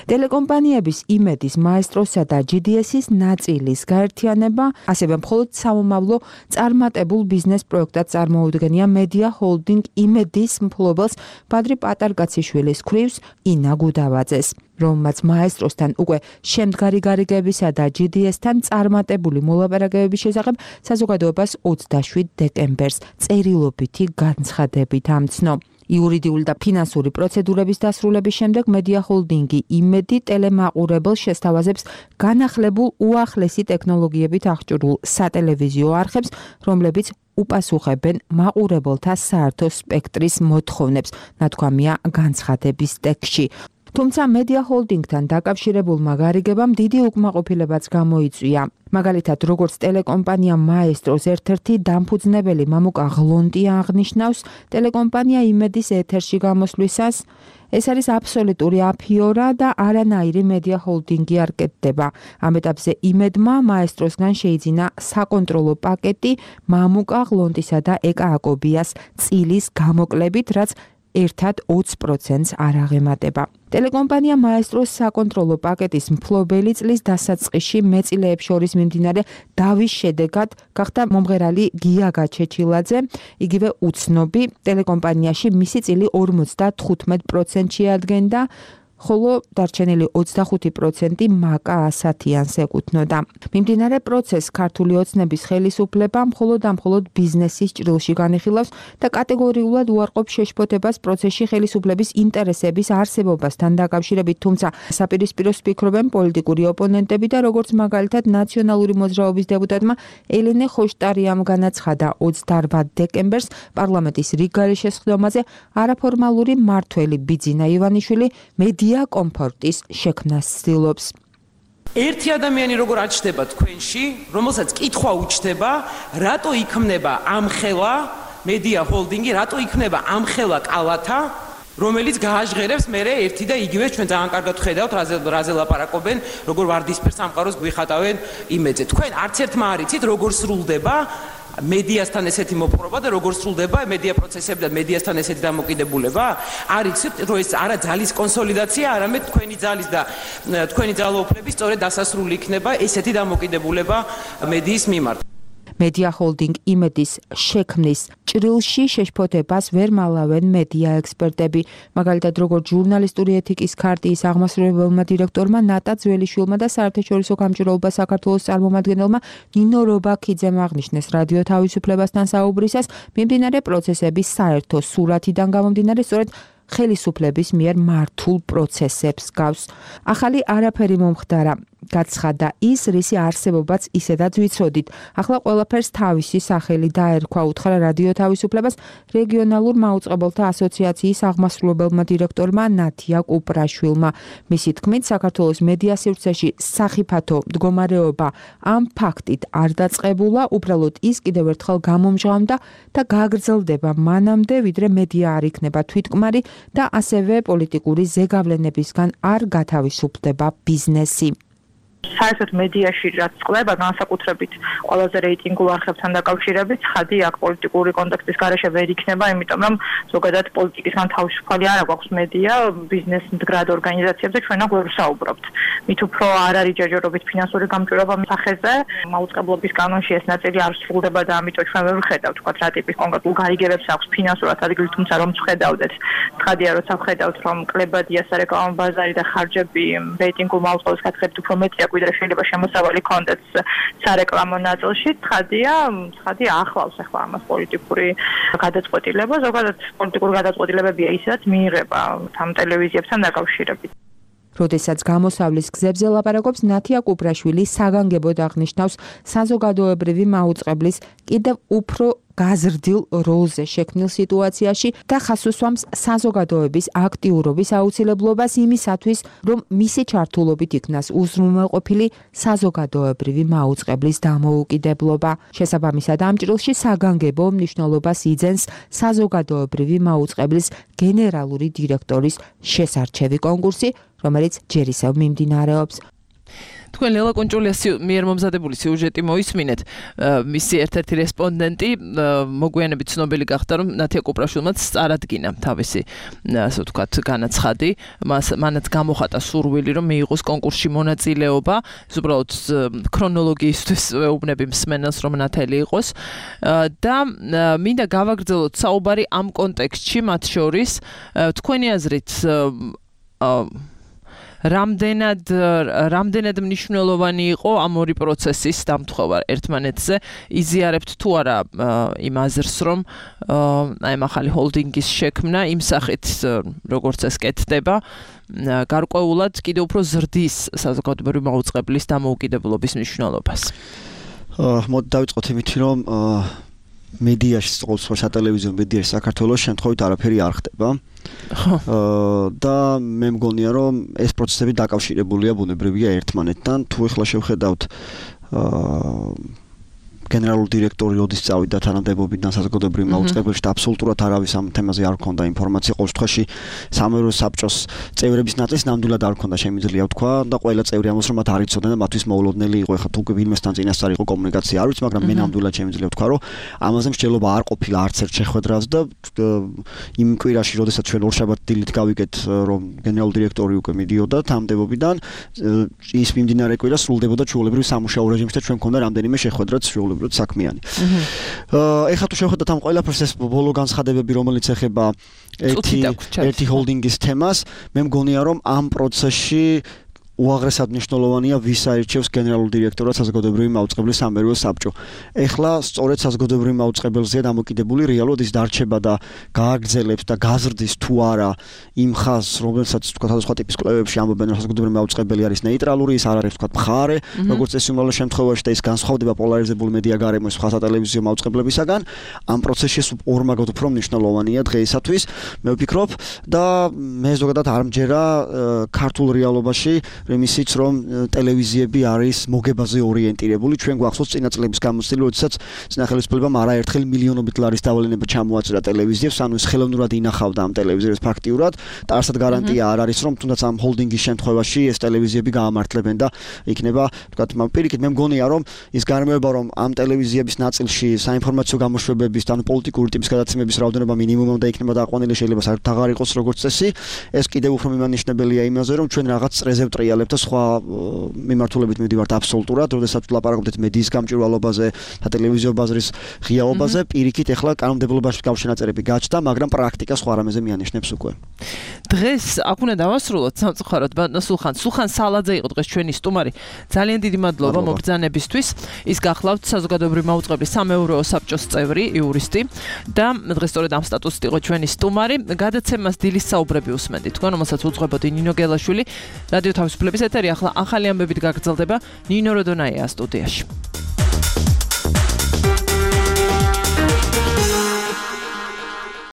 ტელეკომპანიების იმედის მაესტროსა და GDS-ის ნაწილის გაერთიანება ასევე მხოლოდ სამომავლო წარმატებულ ბიზნეს პროექტად წარმოუდგენია Media Holding იმედის მფლობელს ბადრი პატარკაციშვილის ქვრივს ინა გუდავაძეს, რომელმაც მაესტროსთან უკვე შემდგარი გარიგებისა და GDS-თან წარმატებული მოლაპარაკებების შესახებ საზოგადოებას 27 დეკემბერს წერილობითი განცხადებით ამცნო. იურიდიული და ფინანსური პროცედურების დასრულების შემდეგ Media Holding-ი იმედი ტელემაყურებელს შესთავაზებს განახლებულ უახლესი ტექნოლოგიებით აღჭურვილ სატელევიზიო არხებს, რომლებიც უპასუხებენ მაყურებელთა საერთო სპექტრის მოთხოვნებს, ნათქვამია განცხადების ტექსტში. თუმცა Media Holding-თან დაკავშირებულმა გარიგებამ დიდი უკმაყოფილებაც გამოიწვია. მაგალითად, როგორც ტელეკომპანია მაესტროს ერთ-ერთი დამფუძნებელი მამუკა ღლონტია აღნიშნავს, ტელეკომპანია იმედის ეთერში გამოსვლისას ეს არის აბსოლუტური აფიორა და არანაირი Media Holding-ი არ კეთდება. ამ ეტაპზე იმედმა მაესტროსგან შეიძინა საკონტროლო პაკეტი მამუკა ღლონტისა და ეკა აკობიას წილის გამოკლებით, რაც ერთად 20%-ს არ აღემატება. ტელეკომპანია მაესტროს საკონტროლო პაკეტის მფლობელი წლის დასაწყისში მეწილეებს შორის მიმდინარე დავის შედეგად გახდა მომღერალი გია გაჩეჩილაძე, იგივე უცნობი ტელეკომპანიაში მისი წილი 55% შეადგენდა, ხოლო დარჩენილი 25% მაკა ასათიანს ეკუთვნოდა. მიმდინარე პროცესს ქართული ოცნების ხელისუფლება მხოლოდ და მხოლოდ ბიზნესის ჭრილში განიხილავს და კატეგორიულად უარყოფს შეშფოთებას პროცესში ხელისუფლების ინტერესების არსებობასთან დაკავშირებით, თუმცა საპირისპიროს ფიქრობენ პოლიტიკური ოპონენტები და როგორც მაგალითად ნაციონალური მოძრაობის დეპუტატმა ელენე ხოშტარიამ განაცხადა 28 დეკემბერს პარლამენტის რიგ გარშესხდომაზე არაფორმალური მმართველი ბიძინა ივანიშვილი ღია კომფორტის შექმნას ცდილობს. ერთი ადამიანი როგორ აჩნდება თქვენში, რომელსაც კითხვა უჩნდება, რატო იქმნება ამხელა მედია ჰოლდინგი, რატო იქმნება ამხელა კალათა, რომელიც გააჟღერებს მერე ერთი და იგივე ჩვენ ძალიან კარგად ხედავთ რაზე ლაპარაკობენ, როგორ ვარდისფერ სამყაროს გვიხატავენ იმედზე. თქვენ არც ერთმა არ იცით როგორ სრულდება მედიასთან ესეთი მოპყრობა და როგორ სრულდება მედია პროცესები და მედიასთან ესეთი დამოკიდებულება? არ იცით, რომ ეს არა ძალის კონსოლიდაცია, არამედ თქვენი ძალის და თქვენი ძალაუფლების სწორედ დასასრული იქნება ესეთი დამოკიდებულება მედიის მიმართ. მედია ჰოლდინგ იმედის შექმნის ჭრილში შეშფოთებას ვერ მალავენ მედია ექსპერტები. მაგალითად, როგორც ჟურნალისტური ეთიკის ქარტიის აღმასრულებელმა დირექტორმა ნატა ძველიშვილმა და საერთაშორისო გამჭირველობა საქართველოს წარმომადგენელმა ნინო რობაქიძემ აღნიშნეს რადიო თავისუფლებასთან საუბრისას, მიმდინარე პროცესების საერთო სურათიდან გამომდინარე, სწორედ ხელისუფლების მიერ მართულ პროცესებს გავს. ახალი არაფერი მომხდარა. გაცხადა ის, რისი არსებობაც ისედაც ვიცოდით. ახლა ყველაფერს თავისი სახელი დაერქვა, უთხრა რადიო თავისუფლებას რეგიონალურ მაუწყებელთა ასოციაციის აღმასრულებელმა დირექტორმა ნათია კუპრაშვილმა. მისი თქმით, საქართველოს მედია სივრცეში სახიფათო მდგომარეობა ამ ფაქტით არ დაწყებულა, უბრალოდ ის კიდევ ერთხელ გამომჟღავნდა და გაგრძელდება მანამდე, ვიდრე მედია არ იქნება თვითკმარი და ასევე პოლიტიკური ზეგავლენებისგან არ გათავისუფლდება ბიზნესი. საერთოდ მედიაში რაც წყდება განსაკუთრებით ყველაზე რეიტინგულ არხებთან დაკავშირებით ხადი აქ პოლიტიკური კონტექსტის გარეშე ვერ იქნება, იმიტომ რომ ზოგადად პოლიტიკისგან თავისუფალი არ აქვს მედია ბიზნეს მდგრად ორგანიზაციებზე ჩვენ აქ ვერ ვსაუბრობთ. მით უფრო არ არის ჯერჯერობით ფინანსური გამჭვირვალობა სახეზე, მაუწყებლობის კანონში ეს ნაწილი არ სრულდება და ამიტომ ჩვენ ვერ ვხედავთ თქვა რა ტიპის კონკრეტულ გარიგებებს აქვს ფინანსურად ადგილი, თუმცა რომ ვხედავდეთ ხადია როცა ვხედავთ რომ კლებადია სარეკლამო ბაზარი და ხარჯები რეიტინგულ მაუწყებელს გათხრებით უფრო მეტია ვიდრე შეიძლება შემოსავალი კონდეთ სარეკლამო ნაწილში, ცხადია ახლავს ახლა ამას პოლიტიკური გადაწყვეტილება, ზოგადად პოლიტიკური გადაწყვეტილებებია ისედაც მიიღება ამ ტელევიზიებთან დაკავშირებით. როდესაც გამოსავლის გზებზე ლაპარაკობს, ნათია კუპრაშვილი საგანგებოდ აღნიშნავს საზოგადოებრივი მაუწყებლის კიდევ უფრო გაზრდილ როლზე შექმნილ სიტუაციაში და ხაზს უსვამს საზოგადოების აქტიურობის აუცილებლობას იმისათვის, რომ მისი ჩართულობით იქნას უზრუნველყოფილი საზოგადოებრივი მაუწყებლის დამოუკიდებლობა. შესაბამისად, ამ ჭრილში საგანგებო მნიშვნელობას იძენს საზოგადოებრივი მაუწყებლის გენერალური დირექტორის შესარჩევი კონკურსი, რომელიც ჯერ ისევ მიმდინარეობს. თქვენ ლელა კონჭულიას მიერ მომზადებული სიუჟეტი მოისმინეთ. მისი ერთ-ერთი რესპონდენტი მოგვიანებით ცნობილი გახდა, რომ ნათია კუპრაშვილმაც წარადგინა თავისი, ასე ვთქვათ, განაცხადი. მანაც გამოხატა სურვილი, რომ მიიღოს კონკურსში მონაწილეობა. ეს უბრალოდ ქრონოლოგიისთვის ვეუბნები მსმენელს, რომ ნათელი იყოს. და მინდა გავაგრძელოთ საუბარი ამ კონტექსტში, მათ შორის თქვენი აზრით რამდენად მნიშვნელოვანი იყო ამ ორი პროცესის დამთხოვა ერთმანეთზე, იზიარებთ თუ არა იმ აზრს, რომ აი ამ ახალი ჰოლდინგის შექმნა იმ სახით, როგორც ეს კეთდება, გარკვეულად კიდევ უფრო ზრდის საზოგადოებრივი მაუწყებლის დამოუკიდებლობის მნიშვნელობას. მოდი დავიწყოთ იმით, რომ მედიაში, სატელევიზიო მედიაში საქართველოს შემთხვევით არაფერი არ ხდება. და მე მგონია, რომ ეს პროცესები დაკავშირებულია ბუნებრივია ერთმანეთთან. თუ ეხლა შევხედავთ გენერალური დირექტორი როდის წავიდა თანამდებობიდან საზოგადოებრივ მაუწყებელში და აბსოლუტურად არავის ამ თემაზე არ ჰქონდა ინფორმაცია. ყოველ შემთხვევაში სამეურვეო საბჭოს წევრების ნაწილს ნამდვილად არ ჰქონდა შემიძლია ვთქვა და ყველა წევრი ამბობს, რომ მათ არ იცოდნენ და მათთვის მოულოდნელი იყო. ეხლა თუ ვინმესთან წინასწარ იყო კომუნიკაცია არ ვიცი, მაგრამ მე ნამდვილად შემიძლია ვთქვა, რომ ამაზე მსჯელობა არ ყოფილა არც ერთ შეხვედრას და იმ კვირაში, როდესაც ჩვენ ორშაბათ დილით გავიგეთ, რომ გენერალური დირექტორი უკვე მიდიოდა თანამდებობიდან, ის მიმდინარე კვირა სრულდებოდა ჩვეულებრივ სამუშაო რეჟიმში და ჩვენ მქონდა რამდენიმე შეხვედრაც საქმიანი. ეხლა თუ შევხედოთ ამ ყველაფერს ეს ბოლო განცხადებები, რომელიც ეხება ერთი ჰოლდინგის თემას, მე მგონია, რომ ამ პროცესში უაღრესად მნიშვნელოვანია ვის აირჩევს გენერალურ დირექტორად საზოგადოებრივი მაუწყებლის სამეურვეო საბჭო. ეხლა სწორედ საზოგადოებრივი მაუწყებელზეა დამოკიდებული რეალურად ის დარჩება და გააგრძელებს და გაზრდის თუ არა იმ ხაზს, რომელსაც თქვა სხვადასხვა ტიპის კვლევებში ამბობენ, რომ საზოგადოებრივი მაუწყებელი არის ნეიტრალური, ის არ არის თქვა მხარე, როგორც წესი უმრავლეს შემთხვევაში და ის განსხვავდება პოლარიზებული მედია გარემოს სხვა სატელევიზიო მაუწყებლებისაგან. ამ პროცესში ორმაგად უფრო მნიშვნელოვანია დღეისათვის, მე ვფიქრობ და მე ზოგადად არ მჯერა ქართულ რეალობაში იმისიც რომ ტელევიზიები არის მოგებაზე ორიენტირებული. ჩვენ გვახსოვს წინა წლების გამოცდილი, როდესაც წინა ხელისუფლებამ არაერთხელ მილიონობით ლარის დავლენება ჩამოაწერა ტელევიზიებს, ანუ ის ხელოვნურად ინახავდა ამ ტელევიზიებს ფაქტიურად და არსად გარანტია არ არის რომ თუნდაც ამ ჰოლდინგის შემთხვევაში ეს ტელევიზიები გაამართლებენ და იქნება თქვათ პირიქით მე მგონია რომ ის გარემოება რომ ამ ტელევიზიების ნაწილში საინფორმაციო გამოშვებების და პოლიტიკური ტიპის გადაცემების რაოდენობა მინიმუმამდე იქნება დაყვანილი, შეიძლება საერთოდ აღარ იყოს როგორც წესი. ეს კიდევ უფრო მიმანიშნებელია იმაზე რომ ჩვენ რაღაც წრეზე ვტრიალებთ და სხვა მიმართულებით მივდივართ აბსოლუტურად, როდესაც ვლაპარაკობთ მედიის გამჭვირვალობაზე და ტელევიზიო ბაზრის ღიაობაზე, პირიქით ეხლა კანონმდებლობაში გავშენაწერები გაჩნდა, მაგრამ პრაქტიკა სხვა რამეზე მიანიშნებს უკვე. დღეს აქ უნდა დავასრულოთ სამწუხაროდ ბატონო სულხან სალაძე იყო დღეს ჩვენი სტუმარი. ძალიან დიდი მადლობა მობრძანებისთვის. ის გახლავთ საზოგადოებრივი მაუწყებლის სამეურვეო საბჭოს წევრი, იურისტი და დღეს სწორედ ამ სტატუსით იყო ჩვენი სტუმარი. გადაცემას დილის საუბრები უსმენდით თქვენ, რომელსაც უძღვებოდი ნინო გელაშვილი. რადიო თავისუფლების ეთერი ახლა ახალი ამბებით გაგრძელდება. ნინო როდონაია სტუდიაში.